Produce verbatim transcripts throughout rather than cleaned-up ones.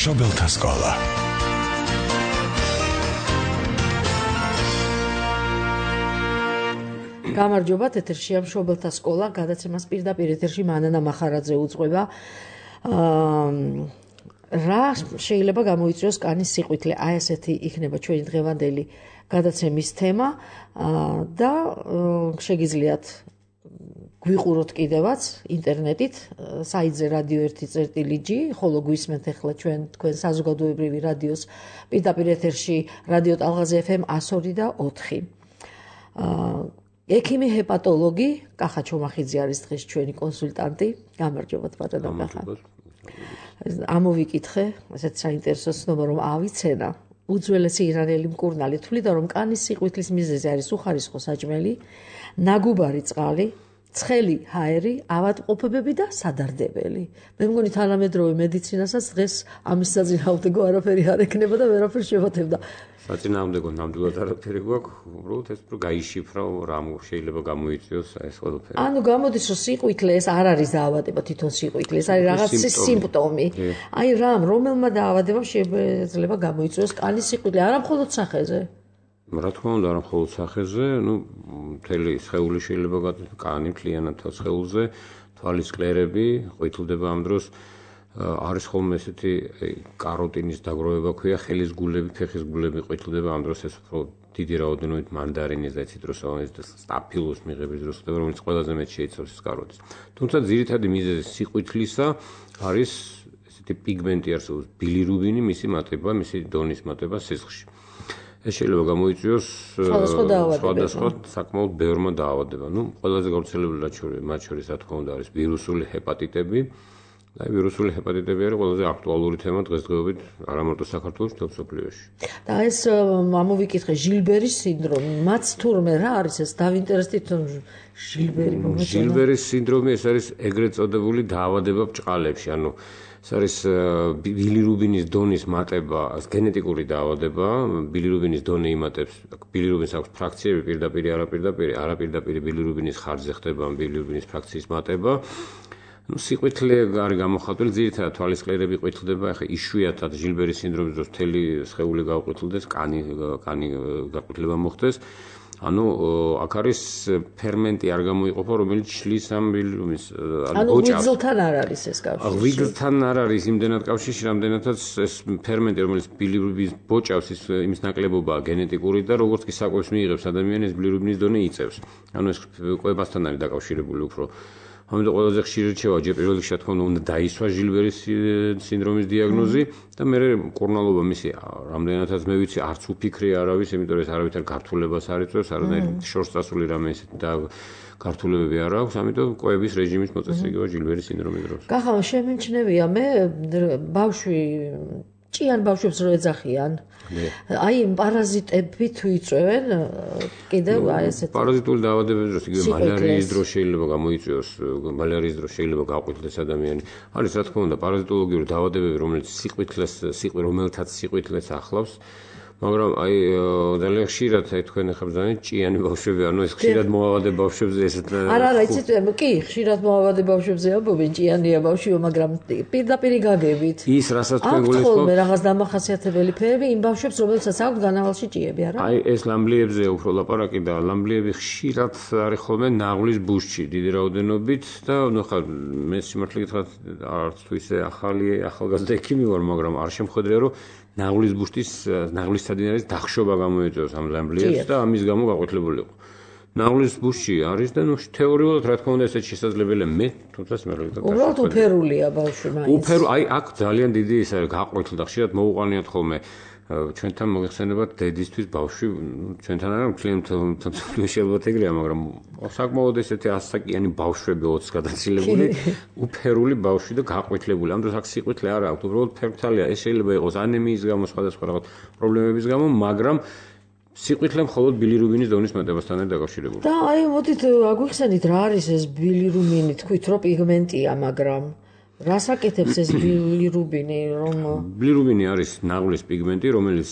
მშობელთა სკოლა. გამარჯობათ, ეთერშია მშობელთა სკოლა, გადაცემას პირდაპირ ეთერში მანანა მახარაძე უძღვება. რა შეიძლება გამოიწვიოს კანის სიყვითლე? აი ესეთი იქნება ჩვენი დღევანდელი გადაცემის თემა და შეგიძლიათ გვიყუროთ კიდევაც ინტერნეტით საიტზე რადიო ერთი წერტილი ჯი, ხოლო გვისმენთ ახლა ჩვენ თქვენ საზოგადოებრივი რადიოს პირდაპირ ეთერში რადიო ტალღაზე ეფ ემ εκατო ორი და ოთხი. ექიმი ჰეპატოლოგი კახა ჩომახიძე არის დღეს ჩვენი კონსულტანტი. გამარჯობათ ბატონო კახა. ამოვიკითხე, ესეც საინტერესო ცნობა რომ ავიცენა. უძველესი ირანელი მკურნალი თვლიდა რომ კანის სიყვითლის მიზეზი არის უხარისხო საჭმელი, ნაგუბარი წყალი, ცხელი ჰაერი, ავადმყოფობები და სადარდებელი. მე მგონი თანამედროვე მედიცინასაც დღეს ამის საწინააღმდეგო არაფერი არ ექნება და ვერაფერს შევათებდა. საწინააღმდეგო ნამდვილად არაფერი გვაქვს, უბრალოდ ეს უფრო გაიშიფრო რა შეიძლება გამოიწვიოს ეს ყველაფერი. ანუ გამოდის რომ სიყვითლე ეს არ არის დაავადება თვითონ სიყვითლე, ეს არის რაღაც სიმპტომი. აი რამ რომელმა დაავადებამ შეიძლება გამოიწვიოს კანის სიყვითლე, არა მხოლოდ სახეზე. რა თქმა უნდა, არა მხოლოდ სახეზე, ну, მთელი სხეული შეიძლება გაწვეს, კანი მთლიანად სხეულზე, თვალის კლერები, ყვითლდება ამ დროს, არის ხოლმე ესეთი კაროტინის დაგროვება ქვია, ხელის გულები, ფეხის გულები ყვითლდება, ამ დროს ეს უფრო დიდი რაოდენობით მანდარინის და ციტრუსოვანის და სტაფილოს მიღების დროს ხდება, რომელიც ყველაზე მეტ შეიცავს ეს კაროტინს. თუმცა ძირითადი მიზეზი სიყვითლისა არის ესეთი პიგმენტი არსებობს, ბილირუბინი, მისი მატება, მისი დონის მატება სისხლში. ეს შეიძლება გამოიწვიოს სხვადასხვა საკმაოდ ბევრმა დაავადებამ. ნუ ყველაზე გავრცელებული მათ შორის რა თქმა უნდა არის ვირუსული ჰეპატიტები. და ვირუსული ჰეპატიტები არის ყველაზე აქტუალური თემა დღესდღეობით არა მარტო საქართველოს, მთელ მსოფლიოში. და ეს ამოვიკითხე ჟილბერის სინდრომი, მათ თურმე რა არის ეს დავინტერესდით ჟილბერი მომეწონა. ჟილბერის სინდრომი ეს არის ეგრეთ წოდებული დაავადება ბჭყალებში, ანუ ეს არის ბილირუბინის დონის მატება, გენეტიკური დაავადება, ბილირუბინის დონე იმატებს, ბილირუბინს აქვს ფრაქციები პირდაპირ, არაპირდაპირ, არაპირდაპირ ბილირუბინის ხარჯზე ხდება ბილირუბინის ფრაქციის მატება. ну სიყვითლე არის გამოხატული, ძირითადად თვალის კლერები ყვითლდება, ახლა იშვიათად ჟილბერის სინდრომის დროს მთელი სხეული გაყვითლდეს, კანი კანი გაყვითლება მოხდეს. ანუ აქ არის ფერმენტი არ გამოიყოფა, რომელიც შლის ამ ბილირუბინს, ანუ ვიგზლთან არ არის ეს კავშირი. ვიგზლთან არ არის იმდენად კავშირში, რამდენადაც ეს ფერმენტი, რომელიც ბილირუბინს ბოჭავს, ის იმის ნაკლებობაა გენეტიკური და როგორც კი საკვებს მიიღებს ადამიანი, ეს ბილირუბინის დონე იწევს. ანუ ეს კვებასთან არის დაკავშირებული უფრო. ამიტომ ყველაზე ხშირი რჩევა ჯერ პირველ რიგში რა თქმა უნდა უნდა დაისვა ჟილბერის სინდრომის დიაგნოზი და მე მკურნალობა მისი რამდენადაც მე ვიცი არც უფიქრი არ არის, იმიტომ რომ ეს არავითარ გართულებას არ იწვევს, არანაირ შორს წასული რამე ისეთი და გართულებები არ აქვს, ამიტომ კვების რეჟიმის მოწესრიგება ჟილბერის სინდრომის დროს. კახა, შემიმჩნევია მე ბავშვი ჭიან ბავშვებს რო ეძახიან. აი პარაზიტები თუ იწვევენ კიდევ აი ესეთი პარაზიტული დაავადებების დროს იგივე მალარიის დროს შეიძლება გამოიწვიოს, მალარიის დროს შეიძლება გაყვითლდეს ადამიანი. არის რა თქმა უნდა პარაზიტოლოგიური დაავადებები, რომელიც სიყვითლეს, სიყვი რომელთაც სიყვითლეს ახლავს, მაგრამ აი ძალიან ხშირად აი თქვენ ახლა ბრძანეთ ჭიანი ბავშვები, ანუ ეს ხშირად მოავადებ ბავშვებზე ესეთ არა არა იცით კი ხშირად მოავადებ ბავშვებზე ამბობენ ჭიანია ბავშვიო, მაგრამ პირდაპირ გაგებით ის რასაც თქვენ გულისხმობთ ხოლმე რაღაც დამახასიათებელი ფერები იმ ბავშვებს რომელსაც აქვს განავალში ჭიები არა აი ეს ლამბლიებზე უფრო ლაპარაკი და ლამბლიები ხშირად არის ხოლმე ნაღლის ბუშჩი დიდი რაოდენობით და ნუ ხა მე სიმართლე გითხრათ არც თუ ისე ახალი ახალგაზრდა ექიმი ვარ, მაგრამ არ შემხედრია რომ ნაღლის ბუშტის ნაღლის სადინარის დახშობა გამოიწვევს ამ ლამბლიებს და ამის გამო გაყვითლებული იყო. ნაღლის ბუშტი არის და ნუ თეორიულად რა თქმა უნდა ესეც შესაძლებელია, მე თუმცა სიმართლე გითხრათ უბრალოდ უფერულია ბავშვი მაინც. უფერო აი აქ ძალიან დიდი ის არის გაყვითლდა, ხშირად მოუყანიათ ხოლმე ჩვენთან მოიხსენებათ დედისთვის ბავშვი, ჩვენთან არა მთლიანობაში ალბათ ეგრეა, მაგრამ საკმაოდ ესეთი ასაკიანი ბავშვები ოცს გადაცილებული, უფერული ბავშვი და გაყვითლებული. ამ დროს აქ სიყვითლე არ აქვს, უბრალოდ ფერმთალია. ეს შეიძლება იყოს ანემიის გამო, სხვადასხვა რაღაც პრობლემების გამო, მაგრამ სიყვითლე მხოლოდ ბილირუბინის დონის მატებასთან არის დაკავშირებული. და აი მოდით აგვიხსენით რა არის ეს ბილირუბინი, თქვით რომ პიგმენტია, მაგრამ რას აკეთებს ეს ბილირუბინი, რომ ბილირუბინი არის ნაღლის პიგმენტი, რომელიც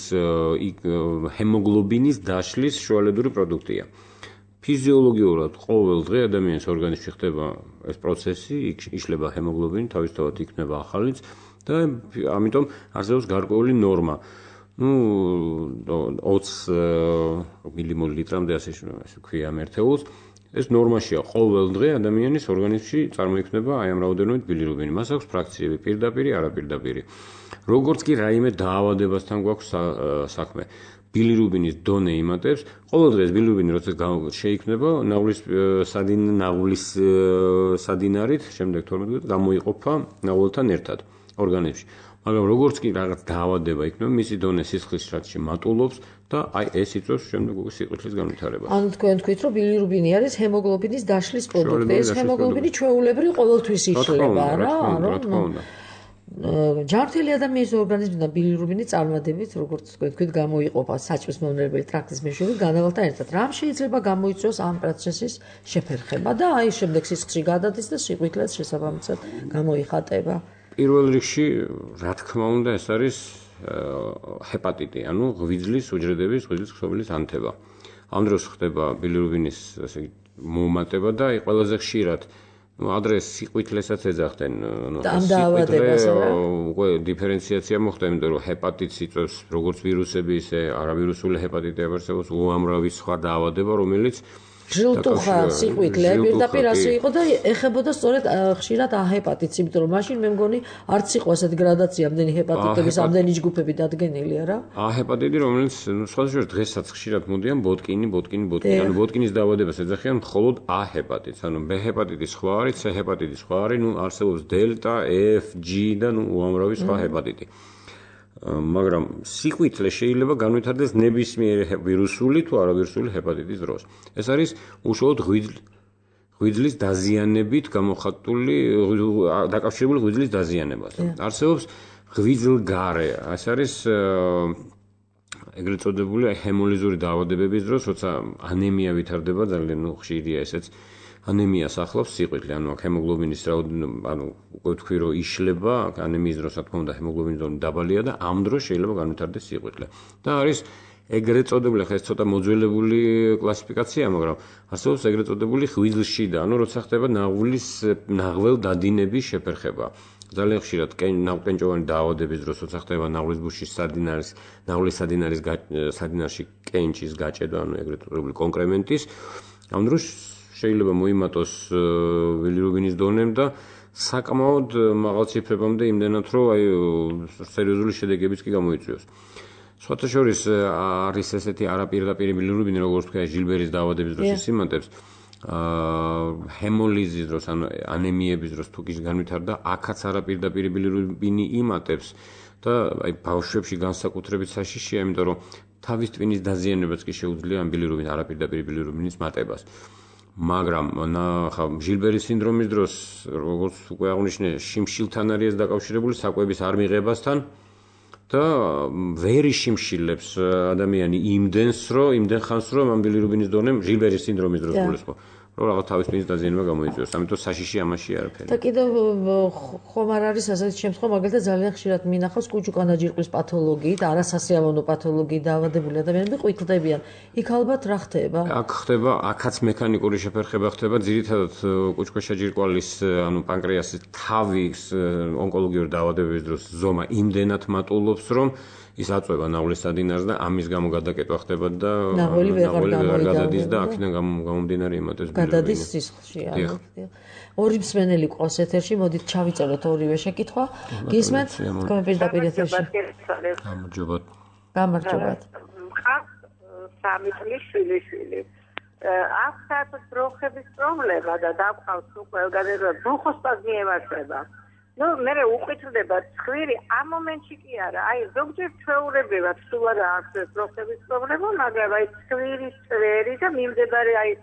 ჰემოგლობინის დაშლის შუალედური პროდუქტია. ფიზიოლოგიურად ყოველ დღე ადამიანის ორგანიზმში ხდება ეს პროცესი, იშლება ჰემოგლობინი, თავისთავად იქნება ახალიც და ამიტომ არსებობს გარკვეული ნორმა. ну ოცი მილიმოლ ლიტრამდე ასე ვქვია ამ ერთეულს ეს ნორმაშია ყოველ დღე ადამიანის ორგანიზმში წარმოიქმნება აი ამ რაოდენობით ბილირუბინი. მას აქვს ფრაქციები პირდაპირი, არაპირდაპირი. როგორც კი რაიმე დაავადებასთან გვაქვს საქმე, ბილირუბინის დონე იმატებს. ყოველ დღე ეს ბილირუბინი როცა შეიქმნება, ნაღვლის სადინ ნაღვლის სადინარით, შემდეგ თორმეტ დღეს გამოიყოფა ნაღვლთან ერთად ორგანიზმში. მაგრამ როგორც კი რაღაც დაავადება იქნება, მისი დონე სისხლის შრატში მატულობს და აი ეს იწვევს შემდეგ უკვე სიყვითლის განვითარებას. ანუ თქვენ თქვით, რომ ბილირუბინი არის ჰემოგლობინის დაშლის პროდუქტი. ეს ჰემოგლობინი ჩვეულებრივ ყოველთვის იშლება, რა, რომ ჯანმრთელი ადამიანის ორგანიზმიდან ბილირუბინი წარმატებით, როგორც თქვენ თქვით, გამოიყოფა საჭმლის მომნელებელი ტრაქტის მეშვეობით განავალთან ერთად. რამ შეიძლება გამოიწვიოს ამ პროცესის შეფერხება და აი შემდეგ სისხლში გადადის და სიყვითლეც შესაბამისად გამოიხატება. პირველ რიგში, რა თქმა უნდა, ეს არის ჰეპატიტი, ანუ ღვიძლის უჯრედების, ღვიძლის ქსოვილის ანთება. ამ დროს ხდება ბილირუბინის ასე მომატება და აი ყველაზე ხშირად ну адрес სიყვითლესაც ეძახდნენ ну დაავადებას რა უკვე დიფერენციაცია მოხდა იმიტომ რომ ჰეპატიტს იწვევს როგორც ვირუსები ისე არავირუსული ჰეპატიტი არსებობს უამრავი სხვა დაავადება რომელიც ჟილტუხა სიყვითლე პირდაპირ ასე იყო და ეხებოდა სწორედ ხშირად ჰეპატიტს იმიტომ რომ მაშინ მე მგონი არც იყო ასეთი გრადაცია ამდენი ჰეპატიტების ამდენი ჯგუფები დადგენილია რა ჰეპატიტი რომელიც სხვადასხვა დღესაც ხშირად მოდიან ბოტკინი ბოტკინი ბოტკინი ანუ ბოტკინის დაავადებას ეძახიან მხოლოდ ა ჰეპატიტს ანუ ბ ჰეპატიტი სხვა არის c ჰეპატიტი სხვა არის ნუ არსებობს დელტა f g და ნუ უამრავი სხვა ჰეპატიტი მაგრამ სიყვითლე შეიძლება განვითარდეს ნებისმიერ ვირუსული თუ არავირუსული ჰეპატიტის დროს. ეს არის უშუალოდ ღვიძლის დაზიანებით გამოხატული დაკავშირებული ღვიძლის დაზიანებასთან. არსებობს ღვიძლგარე, ეს არის ეგრეთ წოდებული ჰემოლიზური დაავადებების დროს, როცა ანემია ვითარდება ძალიან ნუ ხშირია ესეც ანემიას ახლავს სიყვითლე, ანუ ჰემოგლობინის რაოდენობა, ანუ უკვე თქვი რომ იშლება, ანემიის დროს რა თქმა უნდა ჰემოგლობინის დონე დაბალია და ამ დროს შეიძლება განვითარდეს სიყვითლე. და არის ეგრეთ წოდებული, ხა ეს ცოტა მოძველებული კლასიფიკაცია, მაგრამ არსებობს ეგრეთ წოდებული ღვიძლში და, ანუ როცა ხდება ნაღვლის ნაღველ დადინების შეფერხება. ძალიან ხშირად ნაღვკენჭოვანი დაავადების დროს, როცა ხდება ნაღვლის ბუშის სადინარის, ნაღვლის სადინარის სადინარში კენჭის გაჭედა, ანუ ეგრეთ წოდებული კონკრემენტის, ამ დროს შეიძლება მოიმატოს ბილირუბინის დონემ და საკმაოდ მაღალ ციფრებამდე იმდენად რომ აი სერიოზული შედეგებიც კი გამოიწვიოს. სხვათა შორის არის ესეთი არაპირდაპირი ბილირუბინი, როგორც თქვია ჟილბერის დაავადების დროს იმატებს, ჰემოლიზის დროს, ანუ ანემიების დროს თუ კი განვითარდა, აქაც არაპირდაპირი ბილირუბინი იმატებს და აი ბავშვებში განსაკუთრებით საშიშია, იმიტომ რომ თავის ტვინის დაზიანებაც კი შეუძლია ამ ბილირუბინის არაპირდაპირი ბილირუბინის მატებას. მაგრამ ხა ჟილბერის სინდრომის დროს როგორც უკვე აღნიშნე შიმშილთან არის დაკავშირებული საკვების არ მიღებასთან და ვერ იშიმშილებს ადამიანი იმდენს რომ იმდენ ხანს რომ ამ ბილირუბინის დონემ ჟილბერის სინდრომის დროს გულისხმობ რომ რაღაც თავის ტვინის დაზიანება გამოიწვიოს ამიტომ საშიში ამაში არაფერი და კიდევ ხომ არ არის ასეთი შემთხვევა მაგალითად ძალიან ხშირად მინახავს კუჭუკანაჯირკვის პათოლოგიით არასასიამოვნო პათოლოგიით დაავადებული ადამიანები ყვითლდებიან იქ ალბათ რა ხდება აქ ხდება აქაც მექანიკური შეფერხება ხდება ძირითადად კუჭქვეშაჯირკვალის ანუ პანკრეასის თავის ონკოლოგიური დაავადებების დროს ზომა იმდენად მატულობს რომ ის აწვევა ნაღვლის სადინარს და ამის გამო გადაკეტვა ხდება და ნაღველი ვეღარ გადადის და აქედან გამომდინარე იმატებს გადადის სისხლში ანუ ორი მსმენელი ყავს ეთერში მოდით ჩავიწეროთ ორივე შეკითხვა გისმენთ თქვენ პირდაპირ ეთერში გამარჯობათ გამარჯობათ სამი წლის შვილიშვილი აქ საერთოდ ბროხების პრობლემა და დაგყავს უკვე განერვა ბროხოსპაზმი ემართება ну, მე უყვითლდება ცხვირი ამ მომენტში კი არა. აი, ზოგჯერ ჩვეულებრივად სულ არა აქვს ბროხების პრობლემა, მაგრამ აი ცხვირის წვერი და მიმდებარე აი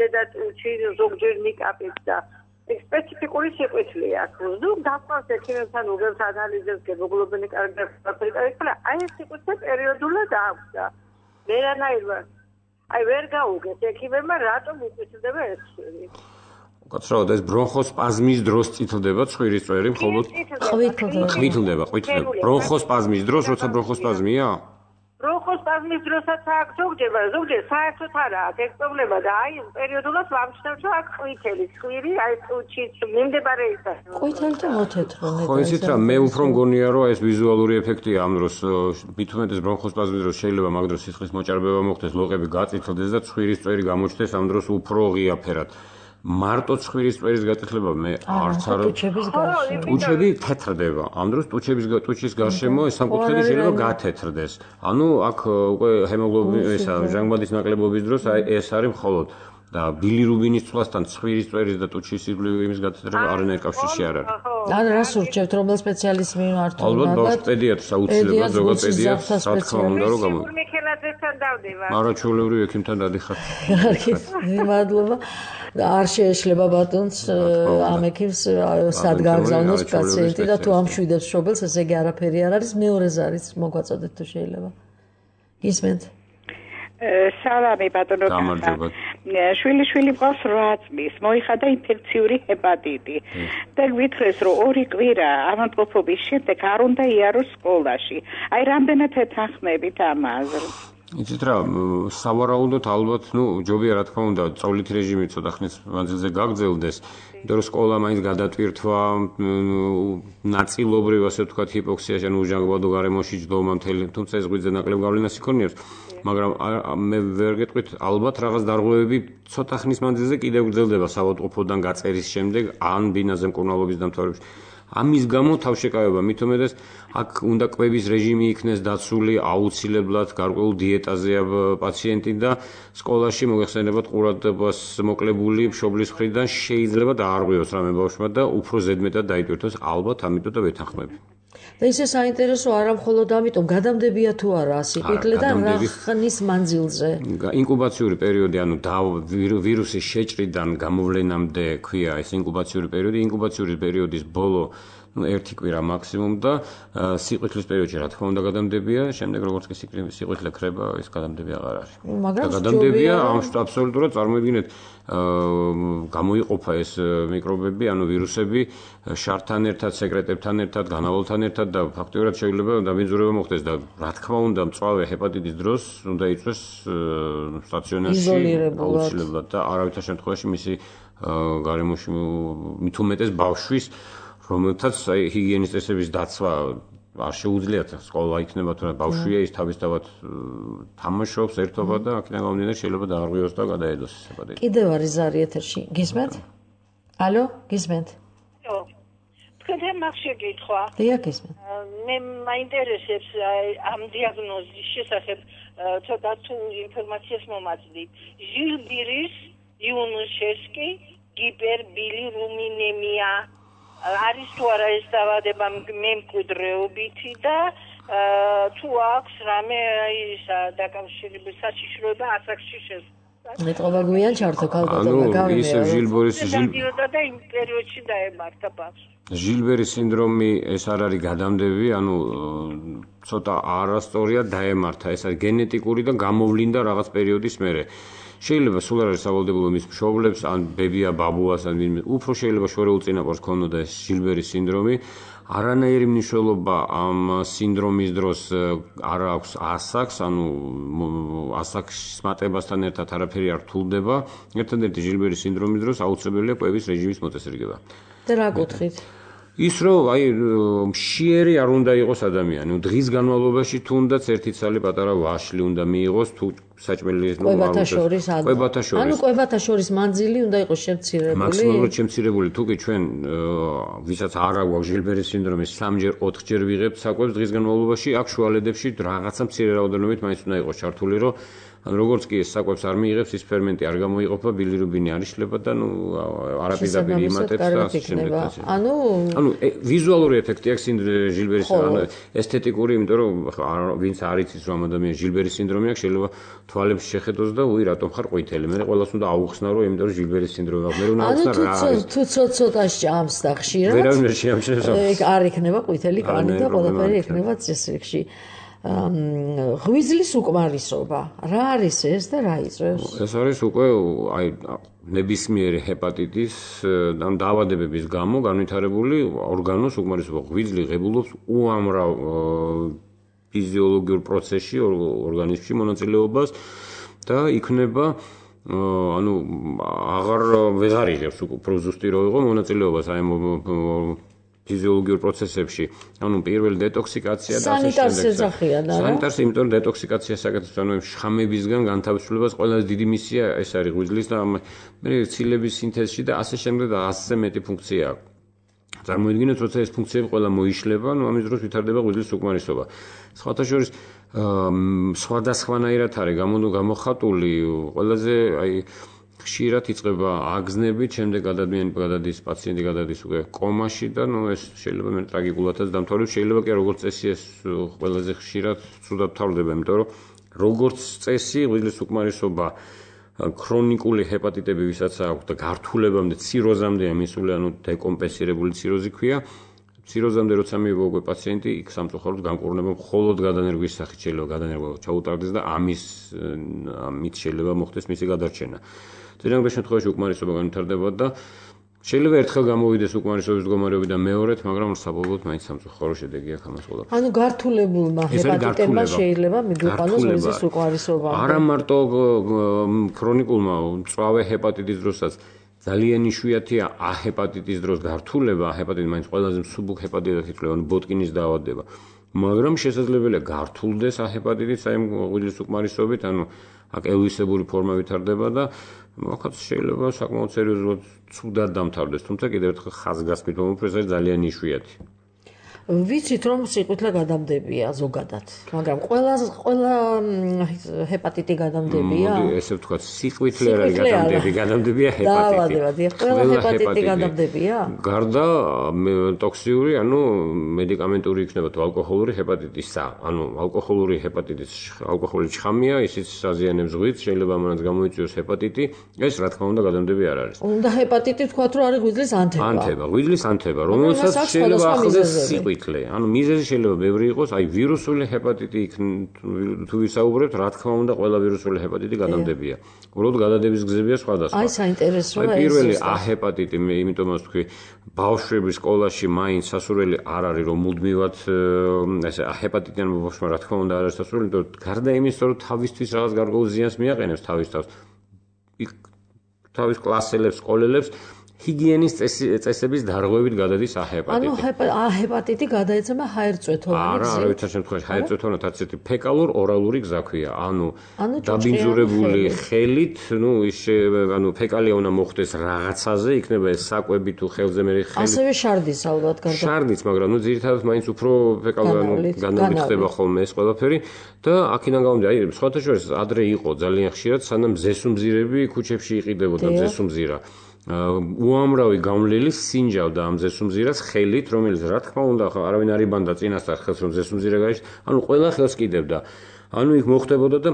დედატუჩი ზოგჯერ ნიკაპიც და სპეციფიკური სიყვითლე აქვს. ну, დაგყავს ექიმებთან უგებს ანალიზებს, ჰემოგლობინი კარგად დაფერმირდა. აი ეს სიყვითლე პერიოდულად აქვს და ვერანაირად აი ვერ გაუგეს ექიმებმა რატომ უყვითლდება ეს ცხვირი. კაცრავად ეს ბრონხოსპაზმის დროს წითლდება ცხვირის წვერი მხოლოდ ყვითლდება ყვითლდება ყვითლდება ბრონხოსპაზმის დროს როცა ბრონხოსპაზმია ბრონხოსპაზმის დროსაც აქ ზოგჯერ ზოგჯერ საერთოდ არა აქ ეს პრობლემა და აი პერიოდულად ვამჩნევ რომ აქ ყვითელი ცხვირი აი წუჩიც მიმდებარე ისა ყვითელი და მოთეთრო ნეტა ხო ისიც რა მე უფრო მგონია რომ ეს ვიზუალური ეფექტია ამ დროს მით უმეტეს ბრონხოსპაზმის დროს შეიძლება მაგ დროს სისხლის მოჭარბება მოხდეს ლოყები გაწითლდეს და ცხვირის წვერი გამოჩნდეს ამ დროს უფრო ღია ფერად მარტო ცხვირის წვერის გაწითლება მე არც არა ტუჩების გარშემო ტუჩები თეთრდება ამ დროს ტუჩების ტუჩის გარშემო სამკუთხედი შეიძლება გათეთრდეს ანუ აქ უკვე ჰემოგლობინ ესა ჟანგბადის ნაკლებობის დროს აი ეს არის მხოლოდ და ბილირუბინის ცვლასთან ცხვირის წვერის და ტუჩის იმის გათეთრება არანაირ კავშირში არ არის. ან რას ურჩევთ რომელ სპეციალისტს მიმართოთ? ალბათ ბავშვ პედიატრს აუცილებლად ზოგად პედიატრს რა თქმა უნდა რომ გამო. მიქელაძესთან დავდება. არა ჩვეულებრივ ექიმთან დადიხარ. მადლობა. არ შეეშლება ბატონს ამ ექიმს სად გააგზავნოს პაციენტი და თუ ამშვიდებს შობელს ესე იგი არაფერი არ არის მეორე ზარიც მოგვაწოდეთ თუ შეიძლება. ისმენთ სალამი ბატონო გამარჯობა შვილი შვილი მყავს რვა წლის მოიხადა ინფექციური ჰეპატიტი და გვითხრეს რომ ორი კვირა ავადმყოფობის შემდეგ არ უნდა იაროს სკოლაში აი რამდენად ეთანხმებით ამაზე იცით რა სავარაუდოდ ალბათ ნუ ჯობია რა თქმა უნდა წავლით რეჟიმი ცოტა ხნის მანძილზე გაგრძელდეს იმიტომ რომ სკოლა მაინც გადატვირთვა ნაწილობრივ ასე ვთქვათ ჰიპოქსიაში ანუ უჟანგბადო გარემოში ჯდომა მთელი თუმცა ეს ღვიძლზე ნაკლებ გავლენას იქონიებს მაგრამ მე ვერ გეტყვით ალბათ რაღაც დარღვევები ცოტა ხნის მანძილზე კიდევ გრძელდება საავადმყოფოდან გაწერის შემდეგ ან ბინაზე მკურნალობის დამთავრების ამის გამო თავშეკავება მით უმეტეს აქ უნდა კვების რეჟიმი იქნეს დაცული აუცილებლად გარკვეულ დიეტაზეა პაციენტი და სკოლაში მოიხსენებათ ყურადღებას მოკლებული მშობლის მხრიდან შეიძლება დაარღვიოს რამე ბავშვმა და უფრო ზედმეტად დაიტვირთოს ალბათ ამიტომ და ვეთანხმები და ისე საინტერესო არა მხოლოდ ამიტომ გადამდებია თუ არა სიკვდილე და რა ხნის მანძილზე ინკუბაციური პერიოდი ანუ ვირუსის შეჭრიდან გამოვლენამდე ქვია ეს ინკუბაციური პერიოდი ინკუბაციური პერიოდის ბოლო ну ერთი კვირა მაქსიმუმ და სიყვილის პერიოდში რა თქმა უნდა გადამდებია შემდეგ როგორც კი სიყვილე ქრება ეს გადამდებია აღარ არის მაგრამ გადამდებია აბსოლუტურად წარმოიდგინეთ გამოიყოფა ეს მიკრობები ანუ ვირუსები შართან ერთად სეკრეტებთან ერთად განავალთან ერთად და ფაქტობრივად შეიძლება დამიძურება მოხდეს და რა თქმა უნდა მწვავე ჰეპატიტის დროს უნდა იწვეს სტაციონარში აუცილებლად და არავითარ შემთხვევაში მისი გარემოში მით უმეტეს ბავშვის რომელთაც აი ჰიგიენის წესების დაცვა არ შეუძლიათ სკოლა იქნება თუ ბავშვია ის თავისთავად თამაშობს ერთობა და აქედან გამომდინარე შეიძლება დაარღვიოს და გადაედოს ჰეპატიტი. კიდევ არის ზარი ეთერში. გისმენთ? ალო, გისმენთ? ო. თქვენ მაგში გითხვა. დიახ, გისმენთ. მე მაინტერესებს ამ დიაგნოზის შესახებ ცოტა თუ ინფორმაციას მომაწვდით. ჟილბირის იუნუშესკი გიპერბილირუმინემია არის თუ არა ეს დაავადება მემკვიდრეობითი და თუ აქვს რამე ისა დაკავშირების საშიშროება ასაკში შესაძლოა. მეტყობა გვიან ჩართო ქალბატონმა გავიმეორე. ანუ ისევ ჟილბორის ჟილბერა და იმ პერიოდში დაემართა ბავშვს. ჟილბერის სინდრომი ეს არ არის გადამდები, ანუ ცოტა არასწორია დაემართა. ეს არის გენეტიკური და გამოვლინდა რაღაც პერიოდის მერე. შეიძლება სულ არ არის სავალდებულო მის მშობლებს ან ბებია ბაბუას ან ვინმე უფრო შეიძლება შორეულ წინაპარს ქონოდა ეს ჟილბერის სინდრომი არანაირი მნიშვნელობა ამ სინდრომის დროს არ აქვს ასაკს ანუ ასაკის მატებასთან ერთად არაფერი არ რთულდება ერთადერთი ჟილბერის სინდრომის დროს აუცილებელია კვების რეჟიმის მოწესრიგება და რა გითხით ის რომ აი მშიერი არ უნდა იყოს ადამიანი დღის განმავლობაში თუნდაც ერთი ცალი პატარა ვაშლი უნდა მიიღოს თუ საჭმელი ნუ კვებათა შორის კვებათა შორის ანუ კვებათა შორის მანძილი უნდა იყოს შემცირებული მაქსიმალურად შემცირებული თუ კი ჩვენ ვისაც არ აქვს ჟილბერის სინდრომი სამჯერ ოთხჯერ ვიღებთ საკვებს დღის განმავლობაში აქ შუალედებში რაღაცა მცირე რაოდენობით მაინც უნდა იყოს ჩართული რომ ან როგორც კი ეს საკვებს არ მიიღებს ის ფერმენტი არ გამოიყოფა ბილირუბინი არ იშლება და ნუ არაპირდაპირ იმატებს და ასე შემდეგ ანუ ანუ ვიზუალური ეფექტი აქვს ჟილბერის ანუ ესთეტიკური იმიტომ რომ ვინც არ იცის რომ ადამიანს ჟილბერის სინდრომი აქვს შეიძლება თვალებს შეხედოს და უი რატომ ხარ ყვითელი მე ყველას უნდა აუხსნა რომ იმიტომ რომ ჟილბერის სინდრომი აქვს მე რომ აუხსნა რა არის თუ ცოტა ჭამს და ხშირად ვერავინ ვერ შეამჩნევს არ იქნება ყვითელი კანი და ყველაფერი იქნება წესრიგში ღვიძლის უკმარისობა რა არის ეს და რა იწვევს ეს არის უკვე აი ნებისმიერი ჰეპატიტის ან დაავადებების გამო განვითარებული ორგანოს უკმარისობა ღვიძლი ღებულობს უამრავ ფიზიოლოგიურ პროცესში, ორგანიზმში მონაწილეობას და იქნება ანუ აღარ ვეღარ იღებს უფრო ზუსტი რო იყო მონაწილეობას აი ფიზიოლოგიურ პროცესებში. ანუ პირველი დეტოქსიკაცია და ასე შემდეგ. სანიტარს ეძახიან, არა? სანიტარს, იმიტომ რომ დეტოქსიკაციას საკეთებს, ანუ შხამებისგან განთავისუფლებას ყველაზე დიდი მისია ეს არის ღვიძლის და მე ცილების სინთეზში და ასე შემდეგ და ასზე მეტი ფუნქცია აქვს. წარმოიდგინეთ, როცა ეს ფუნქციები ყველა მოიშლება, ну ამის დროს ვითარდება ღვიძლის უკმარისობა. სხვათა შორის სხვადასხვანაირად არის გამოხატული, ყველაზე აი ხშირად იწყება აგზნებით, შემდეგ გადადმიანი გადადის პაციენტი გადადის უკვე კომაში და ну ეს შეიძლება მე ტრაგიკულადაც დამთავრდეს, შეიძლება კი როგორც წესი ეს ყველაზე ხშირად ცუდად თავდება, იმიტომ რომ როგორც წესი ღვიძლის უკმარისობა ქრონიკული ჰეპატიტები ვისაც აქვს და გართულებამდე ციროზამდეა მისული, ანუ დეკომპენსირებული ციროზი ქვია. ციროზამდე როცა მიიღო უკვე პაციენტი, იქ სამწუხაროდ განკურნება მხოლოდ გადანერგვის სახით შეიძლება გადანერგვა ჩაუტარდეს და ამის ამით შეიძლება მოხდეს მისი გადარჩენა. ძირითადად შემთხვევაში უკმარისობა განვითარდება და შეიძლება ერთხელ გამოვიდეს უკმარისობის მდგომარეობიდან მეორედ, მაგრამ საბოლოოდ მაინც სამწუხარო შედეგი აქვს ამას ყველაფერს. ანუ გართულებულმა ჰეპატიტებმა შეიძლება მიგვიყვანოს ღვიძლის უკმარისობა. არა მარტო ქრონიკულმა მწვავე ჰეპატიტის დროსაც ძალიან იშვიათია აჰეპატიტის დროს გართულება, აჰეპატიტი მაინც ყველაზე მსუბუქ ჰეპატიტად ითვლება, ანუ ბოტკინის დაავადება. მაგრამ შესაძლებელია გართულდეს აჰეპატიტიც აი ღვიძლის უკმარისობით, ანუ აკელვისებური ფორმა ვითარდება და მოხაც შეიძლება საკმაოდ სერიოზულად ცუდად დამთავრდეს, თუმცა კიდევ ერთხელ ხაზგასმით ვამბობ, ეს არის ძალიან იშვიათი. ვიცით რომ სიყვითლე გადამდებია ზოგადად, მაგრამ ყველა ყველა ჰეპატიტი გადამდებია. მოდი ესე ვთქვათ, სიყვითლე არ არის გადამდები, გადამდებია ჰეპატიტი. დაავადება, ყველა ჰეპატიტი გადამდებია? გარდა ტოქსიური, ანუ მედიკამენტური იქნება თუ ალკოჰოლური ჰეპატიტისა, ანუ ალკოჰოლური ჰეპატიტის ალკოჰოლის შხამია, ისიც საზიანებს ღვიძლს, შეიძლება ამანაც გამოიწვიოს ჰეპატიტი, ეს რა თქმა უნდა გადამდები არ არის. უნდა ჰეპატიტი ვთქვათ რომ არის ღვიძლის ანთება. ანთება, ღვიძლის ანთება, რომელსაც შეიძლება ახლდეს სიყვითლე. ანუ მიზეზი შეიძლება ბევრი იყოს, აი ვირუსული ჰეპატიტი თუ ვისაუბრებთ, რა თქმა უნდა, ყველა ვირუსული ჰეპატიტი გადამდებია. უბრალოდ გადადების გზებია სხვადასხვა. აი საინტერესოა ეს. აი პირველი აჰეპატიტი, მე იმიტომაც თქვი, ბავშვების სკოლაში მაინც სასურველი არ არის, რომ მუდმივად ესე აჰეპატიტიან ბავშვმა რა თქმა უნდა არ არის სასურველი, იმიტომ რომ გარდა იმისა, რომ თავისთვის რაღაც გარკვეულ ზიანს მიაყენებს თავის თავს, თავის კლასელებს, სკოლელებს ჰიგიენის წესების დარღვევით გადადის აჰეპატიტი. ანუ აჰეპატიტი გადაეცემა ჰაერწვეთოვანი გზით. არა, არავითარ შემთხვევაში ჰაერწვეთოვანად არც ერთი ფეკალურ-ორალური გზა ქვია. ანუ დაბინძურებული ხელით, ну ის ანუ ფეკალია უნდა მოხდეს რაღაცაზე, იქნება ეს საკვები თუ ხელზე მე ხელით. ასევე შარდის ალბათ გარდა. შარდის, მაგრამ ну ძირითადად მაინც უფრო ფეკალურ განავლით ხდება ხოლმე ეს ყველაფერი და აქედან გამომდინარე, აი სხვათა შორის ადრე იყო ძალიან ხშირად, სანამ ზესუმზირები ქუჩებში იყიდებოდა ზესუმზირა. უამრავი გამლელი სინჯავდა ამ ზესუმზირას ხელით, რომელიც რა თქმა უნდა არავინ არ იბანდა წინასწარ ხელს რომ ზესუმზირა გაიშ, ანუ ყველა ხელს კიდევდა. ანუ იქ მოხდებოდა და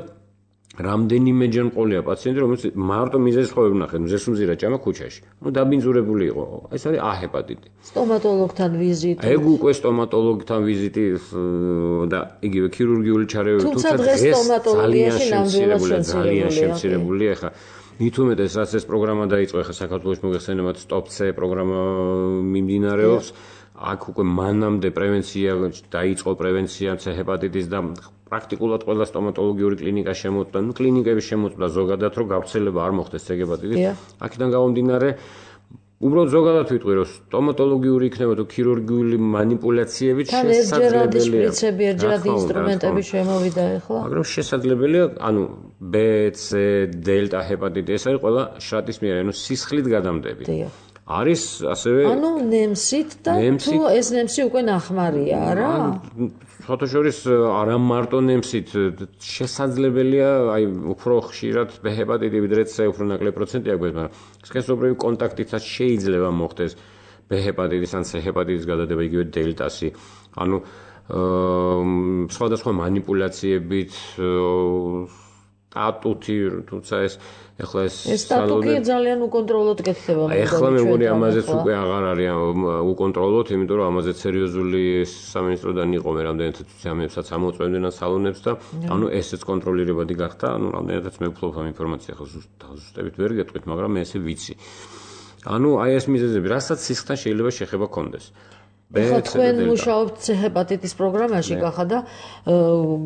რამდენიმეჯერ მყოლია პაციენტი, რომელიც მარტო მიზეზის ხოვებს ნახეთ, ზესუმზირა ჭამა ქუჩაში. ну დაბინძურებული იყო. ეს არის აჰეპატიტი. სტომატოლოგთან ვიზიტი. ეგ უკვე სტომატოლოგთან ვიზიტი და იგივე ქირურგიული ჩარევები, თუმცა დღეს სტომატოლოგიაში ნამდვილად ძალიან შემცირებულია ხა. მით უმეტეს რაც ეს პროგრამა დაიწყო, ხა საქართველოს მოგეხსენებათ სტოპ-C პროგრამა მიმდინარეობს. აქ უკვე მანამდე პრევენცია დაიწყო, პრევენცია ჰეპატიტის და პრაქტიკულად ყველა სტომატოლოგიური კლინიკა შემოწმდა, ну კლინიკები შემოწმდა ზოგადად, რომ გავრცელება არ მოხდეს ჰეპატიტის. აქედან გამომდინარე უბრალოდ ზოგადად ვიტყვი, რომ სტომატოლოგიური იქნება თუ ქირურგიული манипуляციებით შესაძლებელია. შპრიცები, ერთჯერადი ინსტრუმენტები შემოვიდა ახლა. მაგრამ შესაძლებელია, ანუ B, C, დელტა ჰეპატიტი, ეს არის ყველა შრატის მიერ, ანუ სისხლით გადამდები. არის ასევე ანუ ნემსით და თუ ეს ნემსი უკვე ნახმარია, არა? სხვათა შორის არა მარტო ნემსით, შესაძლებელია, აი უფრო ხშირად B ჰეპატიტი ვიდრე C უფრო ნაკლები პროცენტი აქვს, მაგრამ სქესობრივი კონტაქტითაც შეიძლება მოხდეს B ჰეპატიტის ან C ჰეპატიტის გადადება, იგივე დელტასი. ანუ სხვადასხვა манипуляციებით სტატუთი, თუმცა ეს ეხლა ეს სტატუტი ძალიან უკონტროლოდ კეთდება. ეხლა მე მგონი ამაზეც უკვე აღარ არის უკონტროლოდ, იმიტომ რომ ამაზე სერიოზული სამინისტროდან იყო მე რამდენად ამებსაც ამოწმებდნენ სალონებს და ანუ ესეც კონტროლირებადი გახდა, ანუ რამდენადაც მე ვფლობ ამ ინფორმაციას, ახლა ზუსტად ვერ გეტყვით, მაგრამ მე ესე ვიცი. ანუ აი ეს მიზეზები, რასაც სისხლთან შეიძლება შეხება კონდეს. ეხლა თქვენ მუშაობთ ჰეპატიტის პროგრამაში გახა და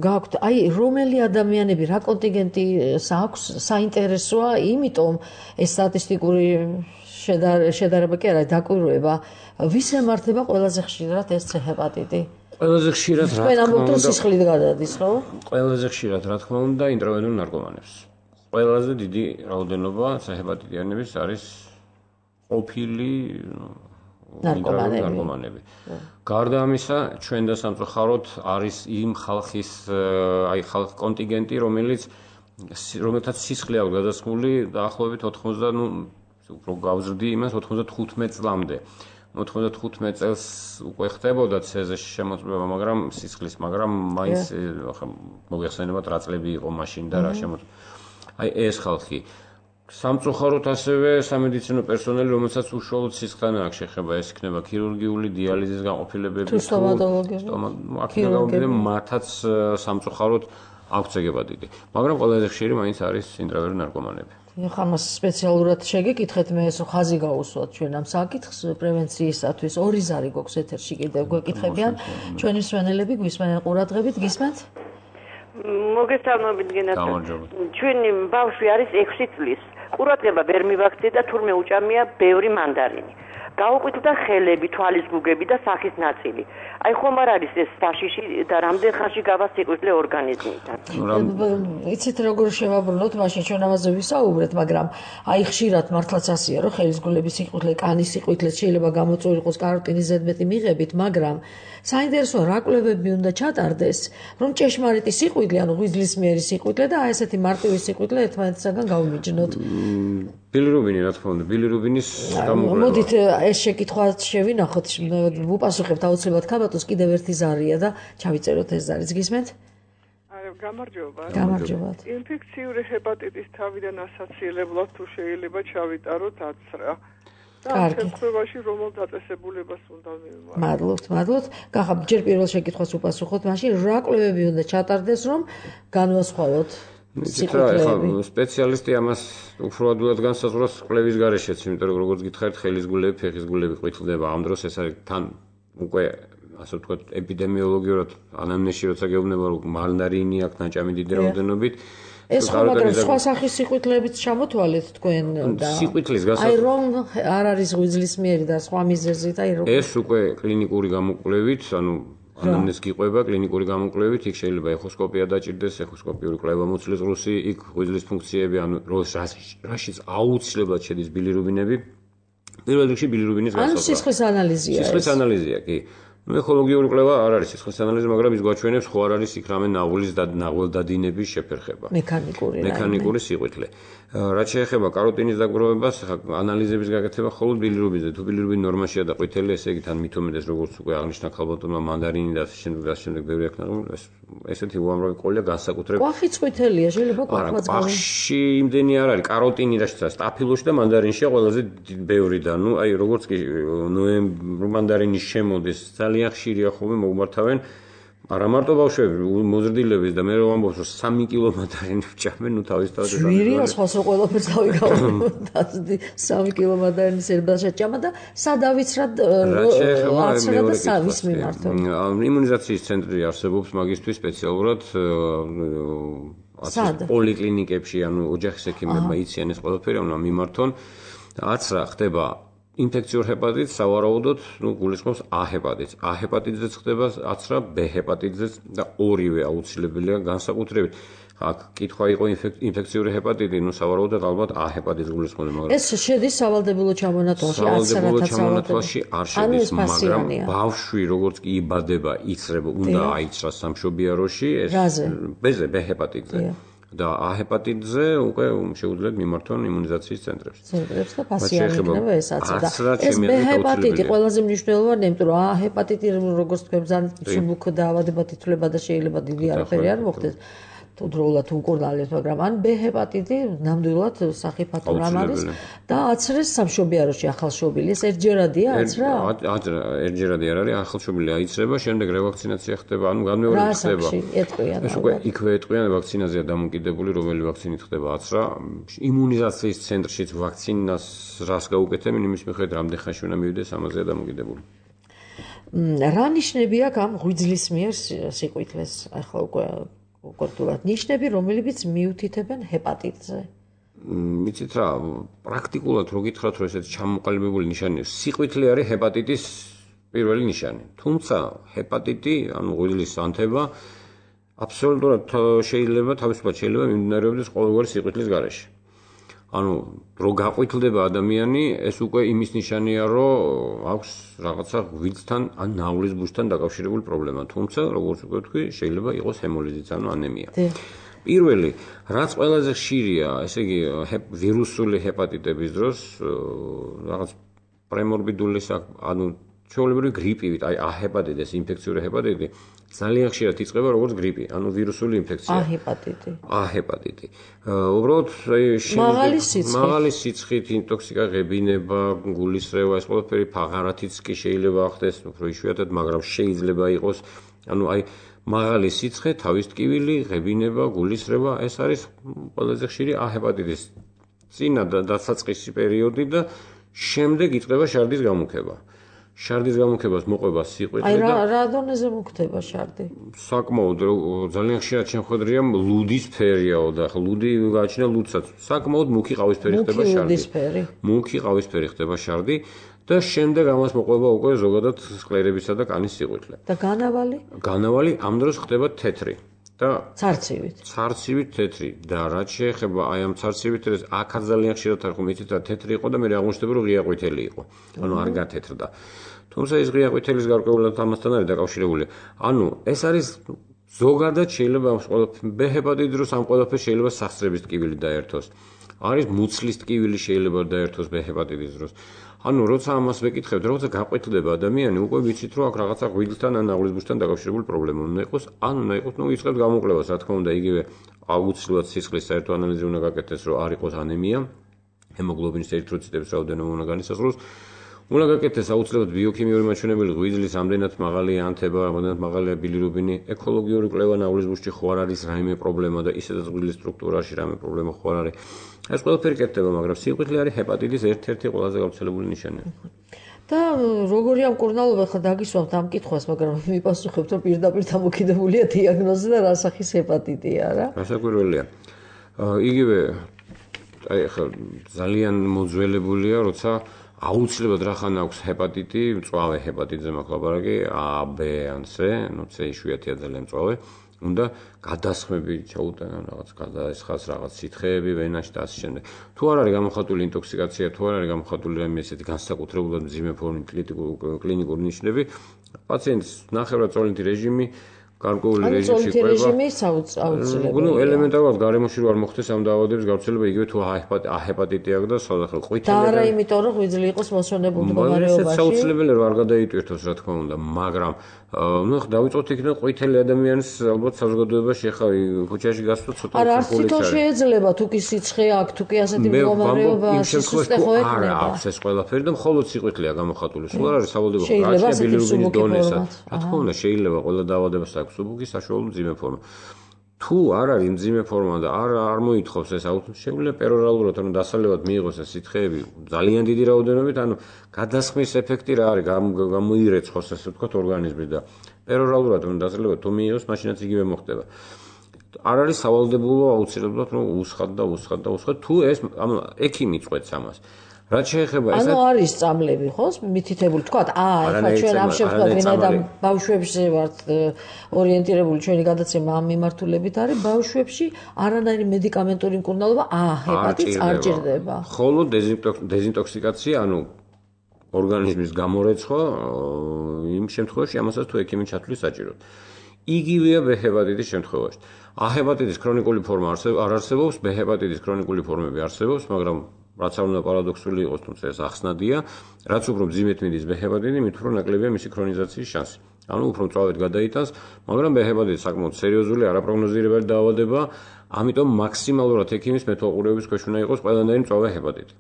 გაქვთ აი რომელი ადამიანები რა კონტინგენტი აქვს საინტერესოა იმიტომ ეს სტატისტიკური შედარება კი არა დაკვირვება ვის ემართება ყველაზე ხშირად ეს ჰეპატიტი ყველაზე ხშირად რა თქვენ ამბობთ რომ სისხლით გადადის ხო ყველაზე ხშირად რა თქმა უნდა ინტროვენულ ნარკომანებს ყველაზე დიდი რაოდენობა ჰეპატიტიანების არის ყოფილი ნარკომანები. გარდა ამისა, ჩვენ და სამწუხაროდ არის იმ ხალხის აი ხალხ კონტინგენტი, რომელიც რომელთაც სისხლი აქვს გადასხმული დაახლოებით ოთხმოცდა, ნუ უფრო გავზრდი იმას ოთხმოცდათხუთმეტ წლამდე. ოთხმოცდათხუთმეტ წელს უკვე ხდებოდა ცეზის შემოწმება, მაგრამ სისხლის, მაგრამ მაინც მოგეხსენებათ რა წლები იყო მაშინ და რა შემოწმება. აი ეს ხალხი სამწუხაროდ ასევე სამედიცინო პერსონალი, რომელსაც უშუალოდ სისხლთან აქვს შეხება, ეს იქნება ქირურგიული დიალიზის განყოფილებები, თუ სტომატოლოგები, აქედან მათაც სამწუხაროდ აქვს ჰეპატიტი. მაგრამ ყველაზე ხშირი მაინც არის ინტროვენული ნარკომანები. ეხლა მას სპეციალურად შეგეკითხეთ, მე ეს ხაზი გავუსვათ ჩვენ ამ საკითხს პრევენციისათვის. ორი ზარი გვაქვს ეთერში კიდევ გვეკითხებიან ჩვენი მსმენელები, გვისმენენ ყურადღებით, გისმენთ? მოგესალმებით გენათო. ჩვენი ბავშვი არის ექვსი წლის. ყურადღება ვერ მივაქცია და თურმე უჭამია ბევრი მანდარინი. გაუყვითდა ხელები, თვალის გუგები და სახის ნაწილი. აი ხომ არ არის ეს საშიში და რამდენ ხანში გავასიყვირლე ორგანიზმიდან. იცით როგორ შევაბრუნოთ, მაშინ ჩვენ ამაზე ვისაუბრეთ, მაგრამ აი ხშირად მართლაც ასია, რომ ხელის გულების სიყვირლე, კანის სიყვირლე შეიძლება გამოწვეული იყოს კაროტინის ზედმეტი მიღებით, მაგრამ საინტერესოა რა კვლევები უნდა ჩატარდეს, რომ ჭეშმარიტი სიყვირლე, ანუ ღვიძლისმიერი სიყვირლე და აი ესეთი მარტივი სიყვირლე ერთმანეთისგან გავიმიჯნოთ. ბილირუბინი რა თქმა უნდა, ბილირუბინის გამოყენება. მოდით ეს შეკითხვა შევინახოთ, ვუპასუხებთ აუცილებლად ქაბატონს, კიდევ ერთი ზარია და ჩავიწეროთ ეს ზარიც, გისმენთ? გამარჯობა. გამარჯობა. ინფექციური ჰეპატიტის თავიდან ასაციელებლად თუ შეიძლება ჩავიტაროთ აცრა. და შემთხვევაში რომელ დაწესებულებას უნდა მივმართ? მადლობთ, მადლობთ. გახა ჯერ პირველ შეკითხვას უპასუხოთ, მაშინ რა კვლევები უნდა ჩატარდეს, რომ განვასხვაოთ სიყვარლეები. სპეციალისტი ამას უფრო ადვილად განსაზღვრავს კვლევის გარეშეც, იმიტომ რომ როგორც გითხარით, ხელის გულები, ფეხის გულები ყვითლდება. ამ დროს ეს არის თან უკვე ასე ვთქვათ, ეპიდემიოლოგიურად ანამნეზში როცა გეუბნება, რომ მანდარინი აქვს ნაჭამი დიდი რაოდენობით. ეს ხო მაგრამ სხვა სახის სიყვირლეებიც ჩამოთვალეთ თქვენ და სიყვირლის გასა აი რომ არ არის ღვიძლისმიერი და სხვა მიზეზით, აი რომ ეს უკვე კლინიკური გამოკვლევით, ანუ ანამნეზ გიყვება კლინიკური გამოკვლევით, იქ შეიძლება ეხოსკოპია დაჭირდეს, ეხოსკოპიური კვლევა მოწლის ღრუსი, იქ ღვიძლის ფუნქციები, ანუ რაშიც აუცილებლად შედის ბილირუბინები. პირველ რიგში ბილირუბინის განსაზღვრა. ანუ სისხლის ანალიზია. სისხლის ანალიზია, კი. ეკოლოგიური კვლევა არ არის სისხლის ანალიზი, მაგრამ ის გვაჩვენებს ხო არ არის იქ რამე ნაღვლის და ნაღველდადინების შეფერხება. მექანიკური. მექანიკური სიყვირლე. რაც შეეხება კაროტინის დაგროვებას, ანალიზების გაკეთება მხოლოდ ბილირუბინზე. თუ ბილირუბინი ნორმაშია და ყვითელი, ესე იგი თან მით უმეტეს როგორც უკვე აღნიშნა ქალბატონმა მანდარინი და შემდეგ და შემდეგ ბევრი აქ ნაღვლის, ესეთი უამრავი ყოლია განსაკუთრებით. ყვახიც ყვითელია, შეიძლება ყვახმაც გავიგოთ. ყვახში იმდენი არ არის, კაროტინი რასაც სტაფილოში და მანდარინშია ყველაზე ბევრი და ნუ აი როგორც კი ნოემბრი მანდარინის შემოდის ძალიან ხშირია ხოლმე მოგმართავენ არა მარტო ბავშვები, მოზრდილების და მე რომ ამბობს რომ სამი კილო მანდარინი ვჭამენ, ნუ თავისთავად ეს ვირია სხვას რო ყველაფერს დავიგავდი სამი კილო მანდარინის ერბაშა ჭამა და სადავიცრად აცრა და სავის მიმართო. იმუნიზაციის ცენტრი არსებობს მაგისთვის სპეციალურად პოლიკლინიკებში, ანუ ოჯახის ექიმებმა იციან ეს ყველაფერი, ანუ მიმართონ აცრა ხდება ინფექციურ ჰეპატიტს სავარაუდოდ, ნუ გულისხმობს A ჰეპატიტს. A ჰეპატიტზეც ხდება აცრა, B ჰეპატიტზეც და ორივე აუცილებელია განსაკუთრებით. აქ კითხვა იყო ინფექციური ჰეპატიტი, ნუ სავარაუდოდ ალბათ A ჰეპატიტს გულისხმობს, მაგრამ ეს შედის სავალდებულო ჩამონათვალში, სავალდებულო ჩამონათვალში არ შედის, მაგრამ ბავშვი როგორც კი იბადება, იცრება, უნდა აიცრას სამშობიაროში, ეს ბეზე B ჰეპატიტზე. და A ჰეპატიტზე უკვე შეუძლიათ მიმართონ იმუნიზაციის ცენტრებს. ცენტრებს და პასიენტი იქნება ესაც და ეს B ჰეპატიტი ყველაზე მნიშვნელოვანია, იმიტომ რომ A ჰეპატიტი როგორც თქვენ ძალიან მსუბუქ დაავადებად ითვლება და შეიძლება დიდი არაფერი არ მოხდეს. თუ დროულად უკურნალეთ, მაგრამ ან B ჰეპატიტი ნამდვილად სახიფათო რამ არის და აცრეს სამშობიაროში ახალშობილი. ეს ერთჯერადია აცრა? აცრა ერთჯერადი არ არის, ახალშობილი აიცრება, შემდეგ რევაქცინაცია ხდება, ანუ განმეორებით ხდება. ეს უკვე იქვე ეტყვიან ვაქცინაზეა დამოკიდებული, რომელი ვაქცინით ხდება აცრა. იმუნიზაციის ცენტრშიც ვაქცინას რას გაუკეთებენ, იმის მიხედვით რამდენ ხანში უნდა მივიდეს, ამაზეა დამოკიდებული. რა ნიშნები აქვს ამ ღვიძლის მიერ სიყვითლეს? ახლა უკვე კონკრეტულად ნიშნები, რომლებიც მიუთითებენ ჰეპატიტზე. მიცით რა, პრაქტიკულად რო გითხრათ, რომ ესეთი ჩამოყალიბებული ნიშანია, სიყვითლე არის ჰეპატიტის პირველი ნიშანი. თუმცა ჰეპატიტი, ანუ ღვიძლის ანთება, აბსოლუტურად შეიძლება თავისუფლად შეიძლება მიმდინარეობდეს ყოველგვარი სიყვითლის გარეშე. ანუ რო გაყვითლდება ადამიანი, ეს უკვე იმის ნიშანია, რომ აქვს რაღაცა ღვიძლთან ან ნავლის ბურჯთან დაკავშირებული პრობლემა. თუმცა, როგორც უკვე ვთქვი, შეიძლება იყოს ჰემოლიზიც, ანუ ანემია. პირველი, რაც ყველაზე ხშირია, ესე იგი, ვირუსული ჰეპატიტების დროს, რაღაც პრემორბიდული, ანუ ჩვეულებრივი გრიპივით, აი ა ჰეპატიტის, ინფექციური ჰეპატიტი ძალიან ხშირად იწყება როგორც გრიპი, ანუ ვირუსული ინფექცია. ა ჰეპატიტი. ა ჰეპატიტი. უბრალოდ მაღალი სიცხე. მაღალი სიცხით ინტოქსიკა, ღებინება, გულისრევა, ეს ყველაფერი ფაღარათიც კი შეიძლება ახდეს, უფრო იშვიათად, მაგრამ შეიძლება იყოს, ანუ აი მაღალი სიცხე, თავის ტკივილი, ღებინება, გულისრევა, ეს არის ყველაზე ხშირი ა ჰეპატიტის წინა და დასაწყისი პერიოდი და შემდეგ იწყება შარდის გამუქება. შარდის გამუქებას მოყვება სიყვითლე და აი რა რა დონეზე მოხდება შარდი? საკმაოდ ძალიან ხშირად შემოხვედრია ლუდის ფერიაო და ახლა ლუდი გააჩნია ლუდსაც. საკმაოდ მუქი ყავისფერი ხდება შარდი. მუქი ყავისფერი ხდება შარდი და შემდეგ ამას მოყვება უკვე ზოგადად სკლერებისა და კანის სიყვითლე. და განავალი? განავალი ამ დროს ხდება თეთრი. და ცარცივით. ცარცივით თეთრი და რაც შეეხება აი ამ ცარცივით ეს აქაც ძალიან ხშირად არ ხომ იცით რა თეთრი იყო და მე აღმოჩნდება რომ ღია ყვითელი იყო. ანუ არ გათეთრდა. თუმცა ეს ღია ყვითელის გარკვეულად ამასთან არის დაკავშირებული. ანუ ეს არის ზოგადად შეიძლება ამ ბ ჰეპატიტის დროს ამ ყველაფერს შეიძლება სახსრების ტკივილი დაერთოს. არის მუცლის ტკივილი შეიძლება დაერთოს ბ ჰეპატიტის დროს. ანუ როცა ამას ვეკითხებთ, როცა გაყვითლდება ადამიანი, უკვე ვიცით რომ აქ რაღაცა ღვიძლთან ან ნავლის ბურჯთან დაკავშირებული პრობლემა უნდა იყოს, ან უნდა იყოს, ნუ იწყებს გამოკვლევას, რა თქმა უნდა, იგივე აუცილებლად სისხლის საერთო ანალიზი უნდა გაკეთდეს, რომ არ იყოს ანემია, ჰემოგლობინის ერითროციტების რაოდენობა უნდა განისაზღვროს. უნდა გაკეთდეს აუცილებლად ბიოქიმიური მაჩვენებელი, ღვიძლის ამდენად მაღალი ანთება, ამდენად მაღალია ბილირუბინი, ეკოლოგიური კვლევა ნავლის ბურჯში ხო არ არის რაიმე პრობლემა და ისედაც ღვიძლის სტრუქტურაში რაიმე პრობლემა ხო არ არის. ეს ყველაფერი კეთდება, მაგრამ სიყვითლე არის ჰეპატიტის ერთ-ერთი ყველაზე გავრცელებული ნიშანი. და როგორი ამ კურნალობა ხა დაგისვამთ ამ კითხვას, მაგრამ მიპასუხებთ, რომ პირდაპირ დამოკიდებულია დიაგნოზზე და რა სახის ჰეპატიტია რა? გასაკვირველია. იგივე აი ხა ძალიან მოძველებულია, როცა აუცილებლად რახან აქვს ჰეპატიტი, მწვავე ჰეპატიტზე მაქვს ლაპარაკი, A, B ან C, ну C იშვიათია ძალიან მწვავე. უნდა გადასხმები ჩაუტანა რაღაც გადაესხას რაღაც სითხეები ვენაში და ასე შემდეგ. თუ არ არის გამოხატული ინტოქსიკაცია, თუ არ არის გამოხატული რაიმე ესეთი განსაკუთრებულად მძიმე ფორმის კლინიკური ნიშნები, პაციენტს ნახევრადწოლინთი რეჟიმი გარკვეული რეჟიმში ყვება. რეჟიმი აუცილებელია. ну ელემენტარულად გარემოში რო არ მოხდეს ამ დაავადების გავრცელება, იგივე თუ ა ჰეპატიტი აქვს და სხვადასხვა ყვითელი და არა იმიტომ რომ ღვიძლი იყოს მოსვენებულ მდგომარეობაში. ეს აუცილებელია რომ არ გადაიტვირთოს რა თქმა უნდა, მაგრამ ну დავიწყოთ იქიდან ყვითელი ადამიანის ალბათ საზოგადოებაში ახლა ქუჩაში გასვლა ცოტა არა არც თვითონ შეიძლება თუ კი სიცხე აქვს, თუ კი ასეთი მდგომარეობა სისუსტე ხო ექნება. არა აქვს ეს ყველაფერი და მხოლოდ სიყვითლეა გამოხატული. სულ არ არის სავალდებო გაჩნია ბილირუბინის დონესა. რა თქმა უნდა შეიძლება ყველა დაავადებას აქვს სუბუქი საშუალო მძიმე ფორმა. თუ არ არის მძიმე ფორმა და არ არ მოითხოვს ეს შეუძლია პერორალურად ანუ დასალევად მიიღოს ეს სითხეები ძალიან დიდი რაოდენობით, ანუ გადასხმის ეფექტი რა არის, გამოირეცხოს ასე ვთქვათ ორგანიზმი და პერორალურად ანუ დასალევად თუ მიიღოს, მაშინაც იგივე მოხდება. არ არის სავალდებულო აუცილებლად რომ უსხად და უსხად და უსხად თუ ეს ანუ ექიმი წვეთს ამას. რაც შეეხება ეს ანუ არის წამლები ხო მითითებული თქვა აა ეხლა ჩვენ ამ შემთხვევაში ვინაიდან ბავშვებში ვართ ორიენტირებული ჩვენი გადაცემა ამ მიმართულებით არის ბავშვებში არანაირი მედიკამენტური მკურნალობა აა ჰეპატიტს არ ჭირდება ხოლო დეზინტოქსიკაცია ანუ ორგანიზმის გამორეცხვა იმ შემთხვევაში ამასაც თუ ექიმი ჩათვლის საჭიროდ იგივეა ბ ჰეპატიტის შემთხვევაში ა ჰეპატიტის ქრონიკული ფორმა არ არსებობს ბ ჰეპატიტის ქრონიკული ფორმები არსებობს მაგრამ რაც არ უნდა პარადოქსული იყოს, თუმცა ეს ახსნადია, რაც უფრო მძიმედ მიდის ბ ჰეპატიტი, მით უფრო ნაკლებია მისი ქრონიზაციის შანსი. ანუ უფრო მწვავედ გადაიტანს, მაგრამ ბ ჰეპატიტი საკმაოდ სერიოზული, არაპროგნოზირებადი დაავადება, ამიტომ მაქსიმალურად ექიმის მეთვალყურეობის ქვეშ უნდა იყოს ყველანაირი მწვავე ჰეპატიტი.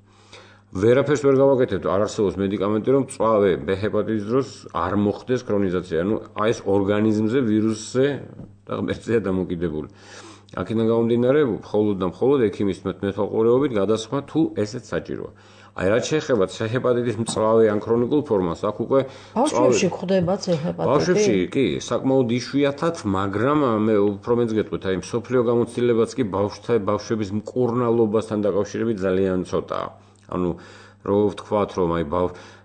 ვერაფერს ვერ გავაკეთებთ, არ არსებობს მედიკამენტი, რომ მწვავე ბ ჰეპატიტის დროს არ მოხდეს ქრონიზაცია. ანუ აი ეს ორგანიზმზე ვირუსზე და ღმერთზეა დამოკიდებული. აქედან გამომდინარე, მხოლოდ და მხოლოდ ექიმის მეთვალყურეობით გადასხმა თუ ესეც საჭიროა. აი რაც შეეხება C ჰეპატიტის მწვავე ან ქრონიკულ ფორმას, აქ უკვე ბავშვებში გვხვდება C ჰეპატიტი? ბავშვებში კი, საკმაოდ იშვიათად, მაგრამ მე უფრო მეც გეტყვით, აი მსოფლიო გამოცდილებაც კი ბავშვთა ბავშვების მკურნალობასთან დაკავშირებით ძალიან ცოტაა. ანუ რო ვთქვათ, რომ აი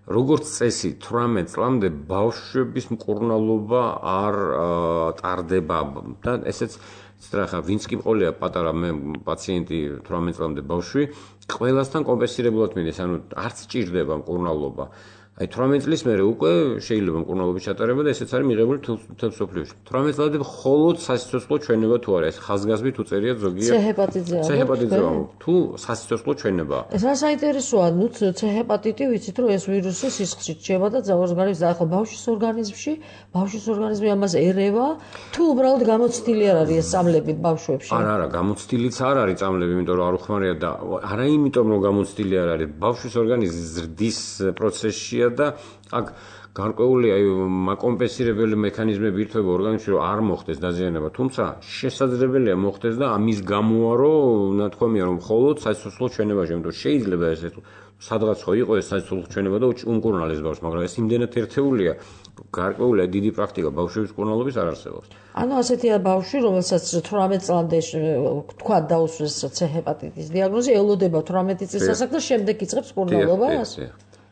როგორც წესი თვრამეტ წლამდე ბავშვების მკურნალობა არ ტარდება და ესეც სტრახა ვინც კი მყოლია პატარა მე პაციენტი თვრამეტ წლამდე ბავშვი ყველასთან კომპენსირებულად მინდეს, ანუ არც ჭირდება მკურნალობა. აი თვრამეტ წლის მერე უკვე შეიძლება მკურნალობის ჩატარება და ესეც არის მიღებული მთელ მსოფლიოში. თვრამეტ წლამდე მხოლოდ სასიცოცხლო ჩვენება თუ არა, ეს ხაზგასმით უწერიათ ზოგიერთ C ჰეპატიტზე. C ჰეპატიტზე თუ სასიცოცხლო ჩვენებაა. ეს რა საინტერესოა, ნუ C ჰეპატიტი ვიცით რომ ეს ვირუსი სისხლში რჩება და ორგანიზმში, ახლა ბავშვის ორგანიზმში, ბავშვის ორგანიზმი ამას ერევა, თუ უბრალოდ გამოცდილი არ არის ეს წამლები ბავშვებში? არა, არა, გამოცდილიც არ არის წამლები, იმიტომ რომ არ უხმარია და არა იმიტომ რომ გამოცდილი არ არის, ბავშვის ორგანიზმი ზრდის პროცესშია და აქ გარკვეული აი კომპენსირებელი მექანიზმები ირთვება ორგანიზმში რომ არ მოხდეს დაზიანება, თუმცა შესაძლებელია მოხდეს და ამის გამოა რომ ნათქვამია რომ მხოლოდ სასიცოცხლო ჩვენებაში, იმიტომ რომ შეიძლება ესე სადღაც ხო იყო ეს სასიცოცხლო ჩვენება და უმკურნალეს ბავშვს, მაგრამ ეს იმდენად ერთეულია, გარკვეული დიდი პრაქტიკა ბავშვების მკურნალობის არ არსებობს. ანუ ასეთია ბავშვი, რომელსაც თვრამეტ წლამდე თქვა დაუსვეს C ჰეპატიტის დიაგნოზი, ელოდება თვრამეტი წლის ასაკს და შემდეგ იწყებს მკურნალობას?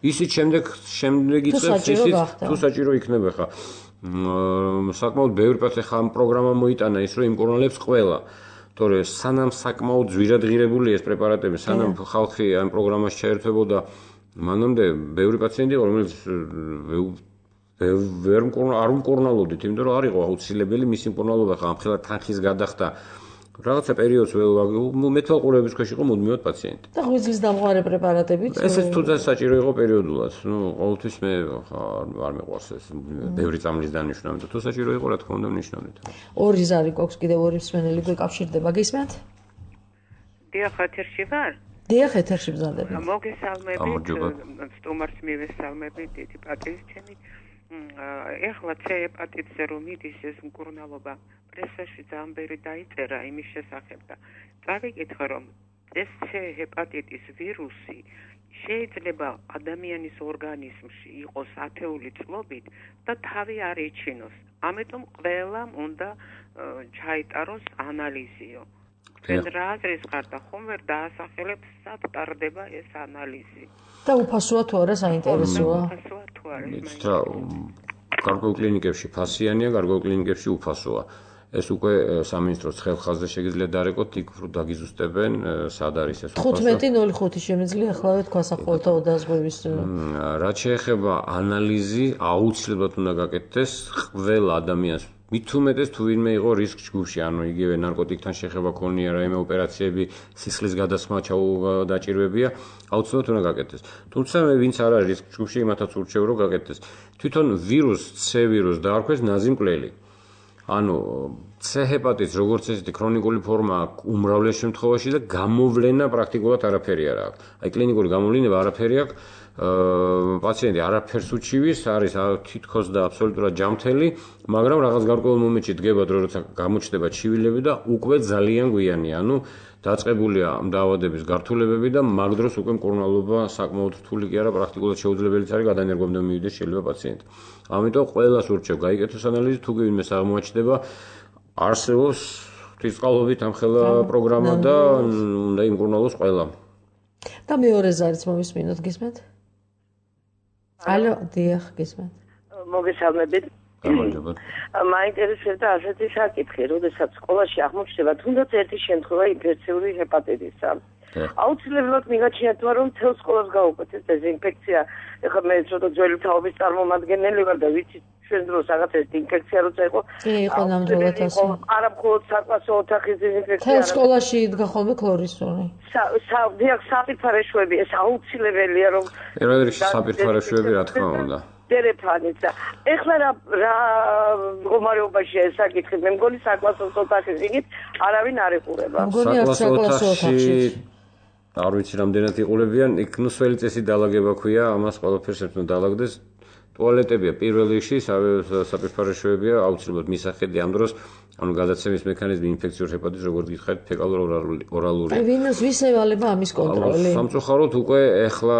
ისიც შემდეგ შემდეგ იწყებს ისიც თუ საჭირო იქნება ხა საკმაოდ ბევრი პაციენტი ხა ამ პროგრამა მოიტანა ის რომ იმკურნალებს ყველა თორე სანამ საკმაოდ ძვირადღირებული ეს პრეპარატები სანამ ხალხი ამ პროგრამაში ჩაერთვებოდა მანამდე ბევრი პაციენტი რომელიც ვერ არ უმკურნალოდით იმიტომ რომ არ იყო აუცილებელი მისი მკურნალობა ხა ამხელა თანხის გადახდა რაღაცა პერიოდს მეთვალყურების ქვეშ იყო მუდმივად პაციენტი. და ღვიძლის დამყარი პრეპარატებით? ესეც თუნდაც საჭირო იყო პერიოდულად. ნუ ყოველთვის მე არ მეყვარს ეს ბევრი წამლის დანიშვნა, მაგრამ თუ საჭირო იყო, რა თქმა უნდა, ვნიშნავდით. ორი ზარი გვაქვს კიდევ ორი მსმენელი გვეკავშირდება, გისმენთ? დიახ, ეთერში ვარ? დიახ, ეთერში ბრძანდები. მოგესალმებით, სტუმარს მივესალმებით, დიდი პატივისცემით. ეხლა C ჰეპატიტზე რომ მიდის ეს მკურნალობა პრესაში ძალიან ბევრი დაიწერა იმის შესახებ და წავიკითხე რომ ეს C ჰეპატიტის ვირუსი შეიძლება ადამიანის ორგანიზმში იყოს ათეული წლობით და თავი არ ეჩინოს. ამიტომ ყველამ უნდა ჩაიტაროს ანალიზიო. თქვენ რა აზრის ხართ და ხომ ვერ დაასახელებს სად ტარდება ეს ანალიზი? და უფასოა თუ არა საინტერესოა? უფასოა თუ არა? გარკვეულ კლინიკებში ფასიანია, გარკვეულ კლინიკებში უფასოა. ეს უკვე სამინისტროს ხელხაზზე შეგიძლიათ დარეკოთ, იქ დაგიზუსტებენ, სად არის ეს უფასო. თხუთმეტი ნული ხუთი შემიძლია ახლავე თქვა სახელმწიფო დაზღვევის. რაც შეეხება ანალიზი, აუცილებლად უნდა გაკეთდეს ყველა ადამიანს. მით უმეტეს თუ ვინმე იყო რისკ ჯგუფში, ანუ იგივე ნარკოტიკთან შეხება ქონია, რაიმე ოპერაციები, სისხლის გადასხმა დაჭირვებია, აუცილებლად უნდა გაკეთდეს. თუმცა მე ვინც არ არის რისკ ჯგუფში, იმათაც ურჩევ რომ გაკეთდეს. თვითონ ვირუს, C ვირუს დაარქვეს ნაზი მკვლელი. ანუ C ჰეპატიტს როგორც ესეთი ქრონიკული ფორმა აქვს უმრავლეს შემთხვევაში და გამოვლენა პრაქტიკულად არაფერი არ აქვს. აი კლინიკური გამოვლინება არაფერი აქვს. პაციენტი არაფერს უჩივის, არის თითქოს და აბსოლუტურად ჯამთელი, მაგრამ რაღაც გარკვეულ მომენტში დგება დრო, როცა გამოჩნდება ჩივილები და უკვე ძალიან გვიანია. ანუ დაწყებულია დაავადების გართულებები და მაგ დროს უკვე მკურნალობა საკმაოდ რთული კი არა, პრაქტიკულად შეუძლებელიც არის გადანერგვამდე მივიდეს შეიძლება პაციენტი. ამიტომ ყველას ურჩევ გაიკეთოს ανალიზი, თუ ვინმეს აღმოაჩნდება არსებობს ღვთისმწყალობით ამხელა პროგრამა და უნდა იმკურნალოს ყველა. და მეორე ზარიც მომისმინოთ, გისმენთ? ალო, დიახ, გისმენთ. მოგესალმებით. გამარჯობა. მაინტერესებდა ასეთი საკითხი, როდესაც სკოლაში აღმოჩნდება თუნდაც ერთი შემთხვევა ინფექციური ჰეპატიტისა. აუცილებლად მიგაჩნიათ რომ მთელ სკოლას გაუკეთეს დეზინფექცია. ეხლა მე ცოტა ძველი თაობის წარმომადგენელი ვარ და ვიცი ჩვენ დროს რაღაც ეს ინფექცია როცა იყო. კი, იყო ნამდვილად ასე. არა მხოლოდ საკლასო ოთახის დეზინფექცია. მთელ სკოლაში იდგა ხოლმე ქლორისული. დიახ, საპირთარეშვები, ეს აუცილებელია რომ პირველ რიგში საპირთარეშვები რა თქმა უნდა. დერეფანიც და ეხლა რა რა მდგომარეობაში ეს საკითხი მე მგონი საკლასო ოთახის იგით არავინ არ ეხურება. საკლასო ოთახში არ ვიცი რამდენად იყურებიან, იქ ნუ სველი წესი დაალაგება ქვია, ამას ყველაფერს ერთად დაალაგდეს. ტუალეტებია პირველ რიგში, საპირთარეშვებია, აუცილებლად მისახედი ამ დროს ანუ გადაცემის მექანიზმი ინფექციურ ჰეპატიტს როგორც გითხარით ფეკალურ ორალური. აი ვინოს ვის ევალება ამის კონტროლი? სამწუხაროდ უკვე ეხლა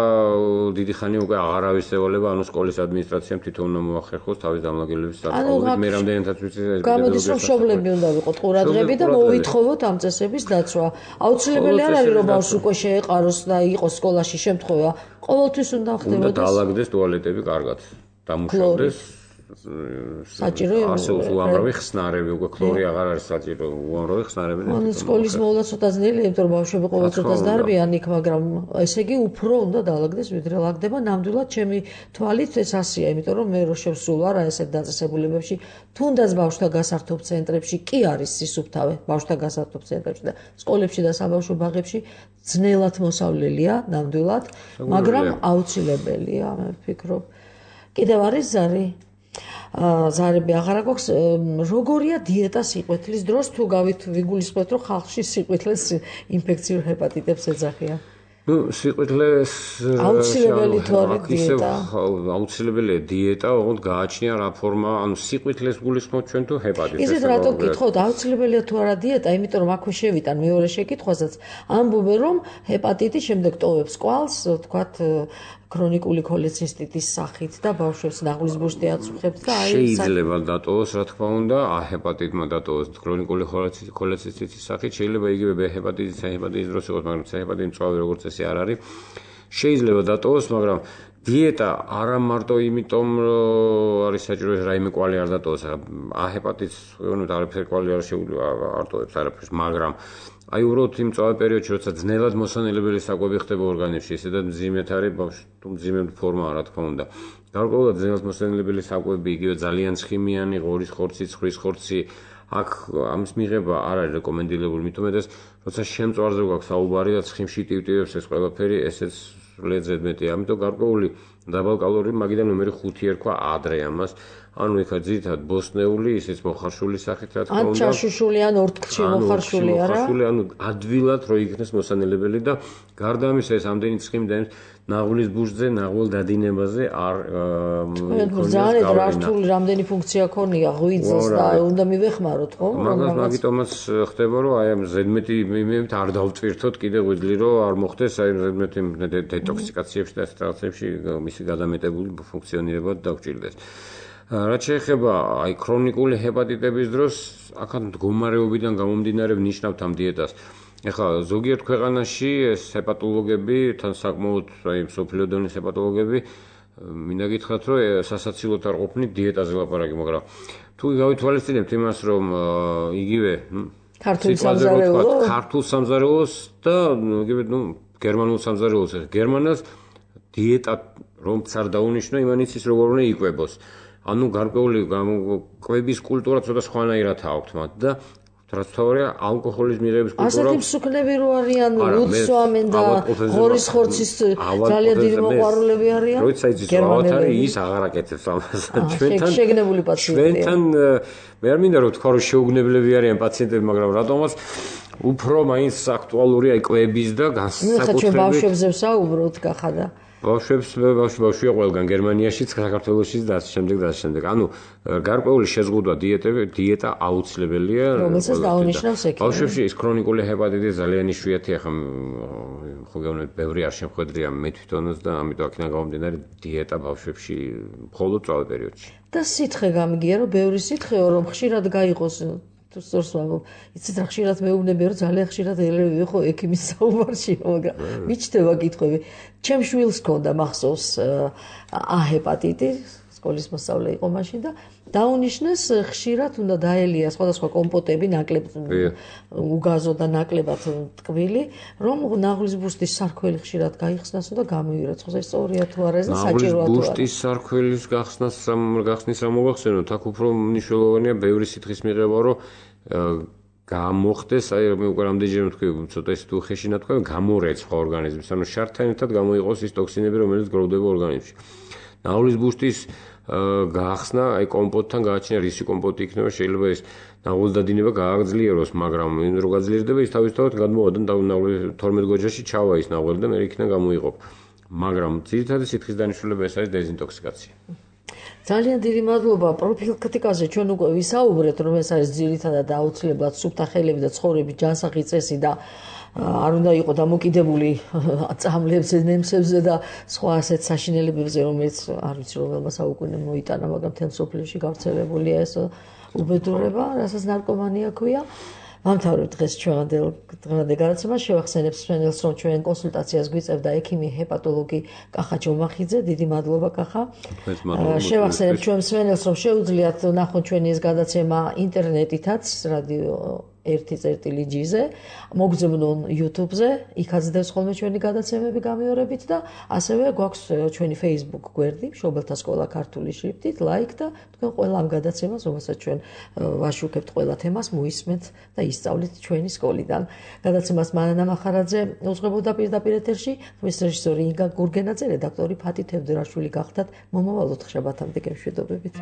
დიდი ხანი უკვე აღარავის ევალება, ანუ სკოლის ადმინისტრაციამ თვითონ უნდა მოახერხოს თავის დამლაგელების საკითხებით. მე რამდენადაც ვიცი ეს გამოდის რომ მშობლები უნდა ვიყოთ ყურადღები და მოვითხოვოთ ამ წესების დაცვა. აუცილებელი არ არის რომ ბავშვი უკვე შეეყაროს და იყოს სკოლაში შემთხვევა. ყოველთვის უნდა ხდებოდეს. უნდა დაალაგდეს ტუალეტები კარგად. დამუშავდეს საჭირო არსებობს უამრავი ხსნარები, უკვე ქლორი აღარ არის საჭირო, უამრავი ხსნარები. ანუ სკოლის მოვლა ცოტა ძნელია, იმიტომ რომ ბავშვები ყოველწლიურად დარბიან იქ, მაგრამ ესე იგი უფრო უნდა დაალაგდეს, ვიდრე ლაგდება. ნამდვილად ჩემი თვალით ეს ასია, იმიტომ რომ მე რო შევსულ ვარ ესეთ დაწესებულებებში, თუნდაც ბავშვთა გასართობ ცენტრებში კი არის სისუფთავე, ბავშვთა გასართობ ცენტრებში და სკოლებში და საბავშვო ბაღებში ძნელად მოსავლელია, ნამდვილად, მაგრამ აუცილებელია, მე ვფიქრობ. კიდევ არის ზარი? ზარები აღარა გვაქვს. როგორია დიეტა სიყვეთლის დროს თუ გავით ვიგულისხმოთ რომ ხალხში სიყვეთლეს ინფექციურ ჰეპატიტებს ეძახიან? ნუ სიყვეთლეს აუცილებელი თუ არის დიეტა? აუცილებელია დიეტა, ოღონდ გააჩნია რა ფორმა, ანუ სიყვეთლეს გულისხმობთ ჩვენ თუ ჰეპატიტს? ისეთ რატო გითხოთ, აუცილებელია თუ არა დიეტა, იმიტომ რომ აქვე შევიტან მეორე შეკითხვასაც, ამბობენ რომ ჰეპატიტი შემდეგ ტოვებს კვალს, თქვათ ქრონიკული ქოლეცისტიტის სახით და ბავშვებს ნაღლის ბუშტი აწუხებს და აი შეიძლება დატოვოს, რა თქმა უნდა, ა ჰეპატიტმა დატოვოს ქრონიკული ქოლეცისტიტის სახით, შეიძლება იგივე ბ ჰეპატიტის, C ჰეპატიტის დროს იყოს, მაგრამ C ჰეპატიტი მწვავე როგორც წესი არ არის. შეიძლება დატოვოს, მაგრამ დიეტა არა მარტო იმიტომ არის საჭირო ეს რაიმე კვალი არ დატოვოს, ა ჰეპატიტს ვეუბნებთ არაფერი კვალი არ შეუძლია არ ტოვებს არაფერს, მაგრამ აი უბრალოდ იმ წავე პერიოდში, როცა ძნელად მოსანელებელი საკვები ხდება ორგანიზმში, ისედაც მძიმედ არის ბავშვი, თუ მძიმედ ფორმაა, რა თქმა უნდა. გარკვეულად ძნელად მოსანელებელი საკვები, იგივე ძალიან ცხიმიანი, ღორის ხორცი, ცხრის ხორცი, აქ ამის მიღება არ არის რეკომენდირებული, მით უმეტეს, როცა შემწვარზე გვაქვს საუბარი და ცხიმში ტივტივებს ეს ყველაფერი, ესეც სრულიად ზედმეტია. ამიტომ გარკვეული დაბალკალორიული, მაგიდან ნომერი ხუთი ერქვა ადრე ამას. ანუ ეხა ძირითადად ბოსტნეული, ისიც მოხარშული სახით, რა თქმა უნდა. ან ჩაშუშული, ან ორთქლში მოხარშული, არა? მოხარშული, ანუ ადვილად რო იქნეს მოსანელებელი და გარდა ამისა ეს ამდენი ცხიმი და ნაღლის ბუშტზე, ნაღვალ დადინებაზე არ ძალიან რართული რამდენი ფუნქცია ქონია ღვიძლს და უნდა მივეხმაროთ, ხო? მაგას მაგიტომაც ხდება, რომ აი ამ ზედმეტი მიმევით არ დავტვირთოთ კიდე ღვიძლი, რომ არ მოხდეს აი ზედმეტი დეტოქსიკაციებში და ეს რაღაცებში მისი გადამეტებული ფუნქციონირება დაგვჭირდეს. რაც შეეხება აი ქრონიკული ჰეპატიტების დროს, აქაც მდგომარეობიდან გამომდინარე ვნიშნავთ ამ დიეტას. ეხლა ზოგიერთ ქვეყანაში ეს ჰეპატოლოგები, თან საკმაოდ აი მსოფლიო დონის ჰეპატოლოგები მინდა გითხრათ, რომ სასაცილოდ არ ყოფნით დიეტაზე ლაპარაკი, მაგრამ თუ გავითვალისწინებთ იმას, რომ იგივე ქართულ სამზარეულოს, ქართულ სამზარეულოს და იგივე ნუ გერმანულ სამზარეულოს, გერმანას დიეტა რომც არ დაუნიშნო, იმანიცის როგორ უნდა იკვებოს. ანუ გარკვეული კვების კულტურა ცოტა სხვანაირად აქვთ მათ და რაც თავია ალკოჰოლის მიღების კულტურა. ასეთი მსუქნები რო არიან, უცვამენ და ღორის ხორცის ძალიან დიდი მოყვარულები არიან. როცა იცის ავად არის, ის აღარ აკეთებს ამას. ჩვენთან შეგნებული პაციენტია. ჩვენთან მე არ მინდა რომ თქვა რომ შეუგნებლები არიან პაციენტები, მაგრამ რატომაც უფრო მაინც აქტუალურია აი კვების და განსაკუთრებით. ჩვენ ბავშვებზე ვსაუბრობთ გახადა. ბავშვებს ბავშვი ბავშვია ყველგან გერმანიაშიც, საქართველოშიც და ასე შემდეგ და ასე შემდეგ. ანუ გარკვეული შეზღუდვა დიეტები, დიეტა აუცილებელია. რომელსაც დაუნიშნავს ექიმი. ბავშვებში ის ქრონიკული ჰეპატიტი ძალიან იშვიათია, ხომ ხო გეუბნებით, ბევრი არ შემხვედრია მე თვითონაც და ამიტომ აქედან გამომდინარე დიეტა ბავშვებში მხოლოდ წავე პერიოდში. და სითხე გამიგია, რომ ბევრი სითხეო, რომ ხშირად გაიყოს თუ სწორს ვამბობ, იცით რა ხშირად მეუბნები, რომ ძალიან ხშირად ელევი ხო ექიმის საუბარში, მაგრამ მიჩნდება კითხვები. ჩემ შვილს ჰქონდა მახსოვს ა ჰეპატიტი, სკოლის მოსწავლე იყო მაშინ და დაუნიშნეს ხშირად უნდა დაელია სხვადასხვა კომპოტები, ნაკლებ უგაზო და ნაკლებად ტკბილი, რომ ნაღლის ბუშტის სარქველი ხშირად გაიხსნასო და გამოირეცხო. ეს სწორია თუ არა, ეს საჭიროა თუ არა. ნაღლის ბუშტის სარქველის გახსნას რამ გახსნის რა მოგახსენოთ, აქ უფრო მნიშვნელოვანია ბევრი სითხის მიღება, რომ გამოხდეს, აი მე უკვე რამდენჯერმე ვთქვი, ცოტა ის თუ ხეშინა თქვა, გამორეცხვა ორგანიზმის, ანუ შარდთან ერთად გამოიყოს ის ტოქსინები, რომელიც გროვდება ორგანიზმში. ნაღლის ბუშტის გახსნა, აი კომპოტთან გააჩნია რისი კომპოტი იქნება, შეიძლება ის ნაღლის დადინება გააგძლიეროს, მაგრამ იმ რო გაძლიერდება ის თავისთავად გადმოვადან თორმეტ გოჯაში ჩავა ის ნაღელი და მე იქიდან გამოიყო. მაგრამ ძირითადად სითხის დანიშნულება ეს არის დეზინტოქსიკაცია. ძალიან დიდი მადლობა პროფილაქტიკაზე ჩვენ უკვე ვისაუბრეთ რომ ეს არის ძირითადად აუცილებლად სუფთა ხელები და ცხოვრების ჯანსაღი წესი და არ უნდა იყოს დამოკიდებული წამლებზე, ნემსებზე და სხვა ასეთ საშინელებებზე, რომელიც არ ვიცი რომელმა საუკუნე მოიტანა, მაგრამ თელ სოფლიოში გავრცელებულია ეს უბედურება, რასაც ნარკომანია ქვია. Მამთავრებ დღეს ჩვენამდელ დღევანდელ გადაცემას შევახსენებ მსმენელს, რომ ჩვენ კონსულტაციას გვიწევდა ექიმი ჰეპატოლოგი კახა ჯომახიძე. დიდი მადლობა კახა. შევახსენებ ჩვენ მსმენელს, რომ შეუძლიათ ნახონ ჩვენი ეს გადაცემა ინტერნეტითაც, რადიო ერთი წერტილი ჯი-ზე, მოგზავნონ YouTube-ზე, იქაც დევს ხოლმე ჩვენი გადაცემები გამეორებით და ასევე გვაქვს ჩვენი Facebook გვერდი, მშობელთა სკოლა ქართული შრიფტით, ლაიქ და თქვენ ყველა ამ გადაცემას, რომელსაც ჩვენ ვაშუქებთ ყველა თემას, მოისმენთ და ისწავლით ჩვენი სკოლიდან. გადაცემას მანანა მახარაძე უძღვებოდა პირდაპირ ეთერში, ხმის რეჟისორი ინგა გურგენაძე, რედაქტორი ფათი თევდორაშვილი გახდათ. მომავალ ოთხშაბათამდე გემშვიდობებით.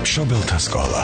მშობელთა სკოლა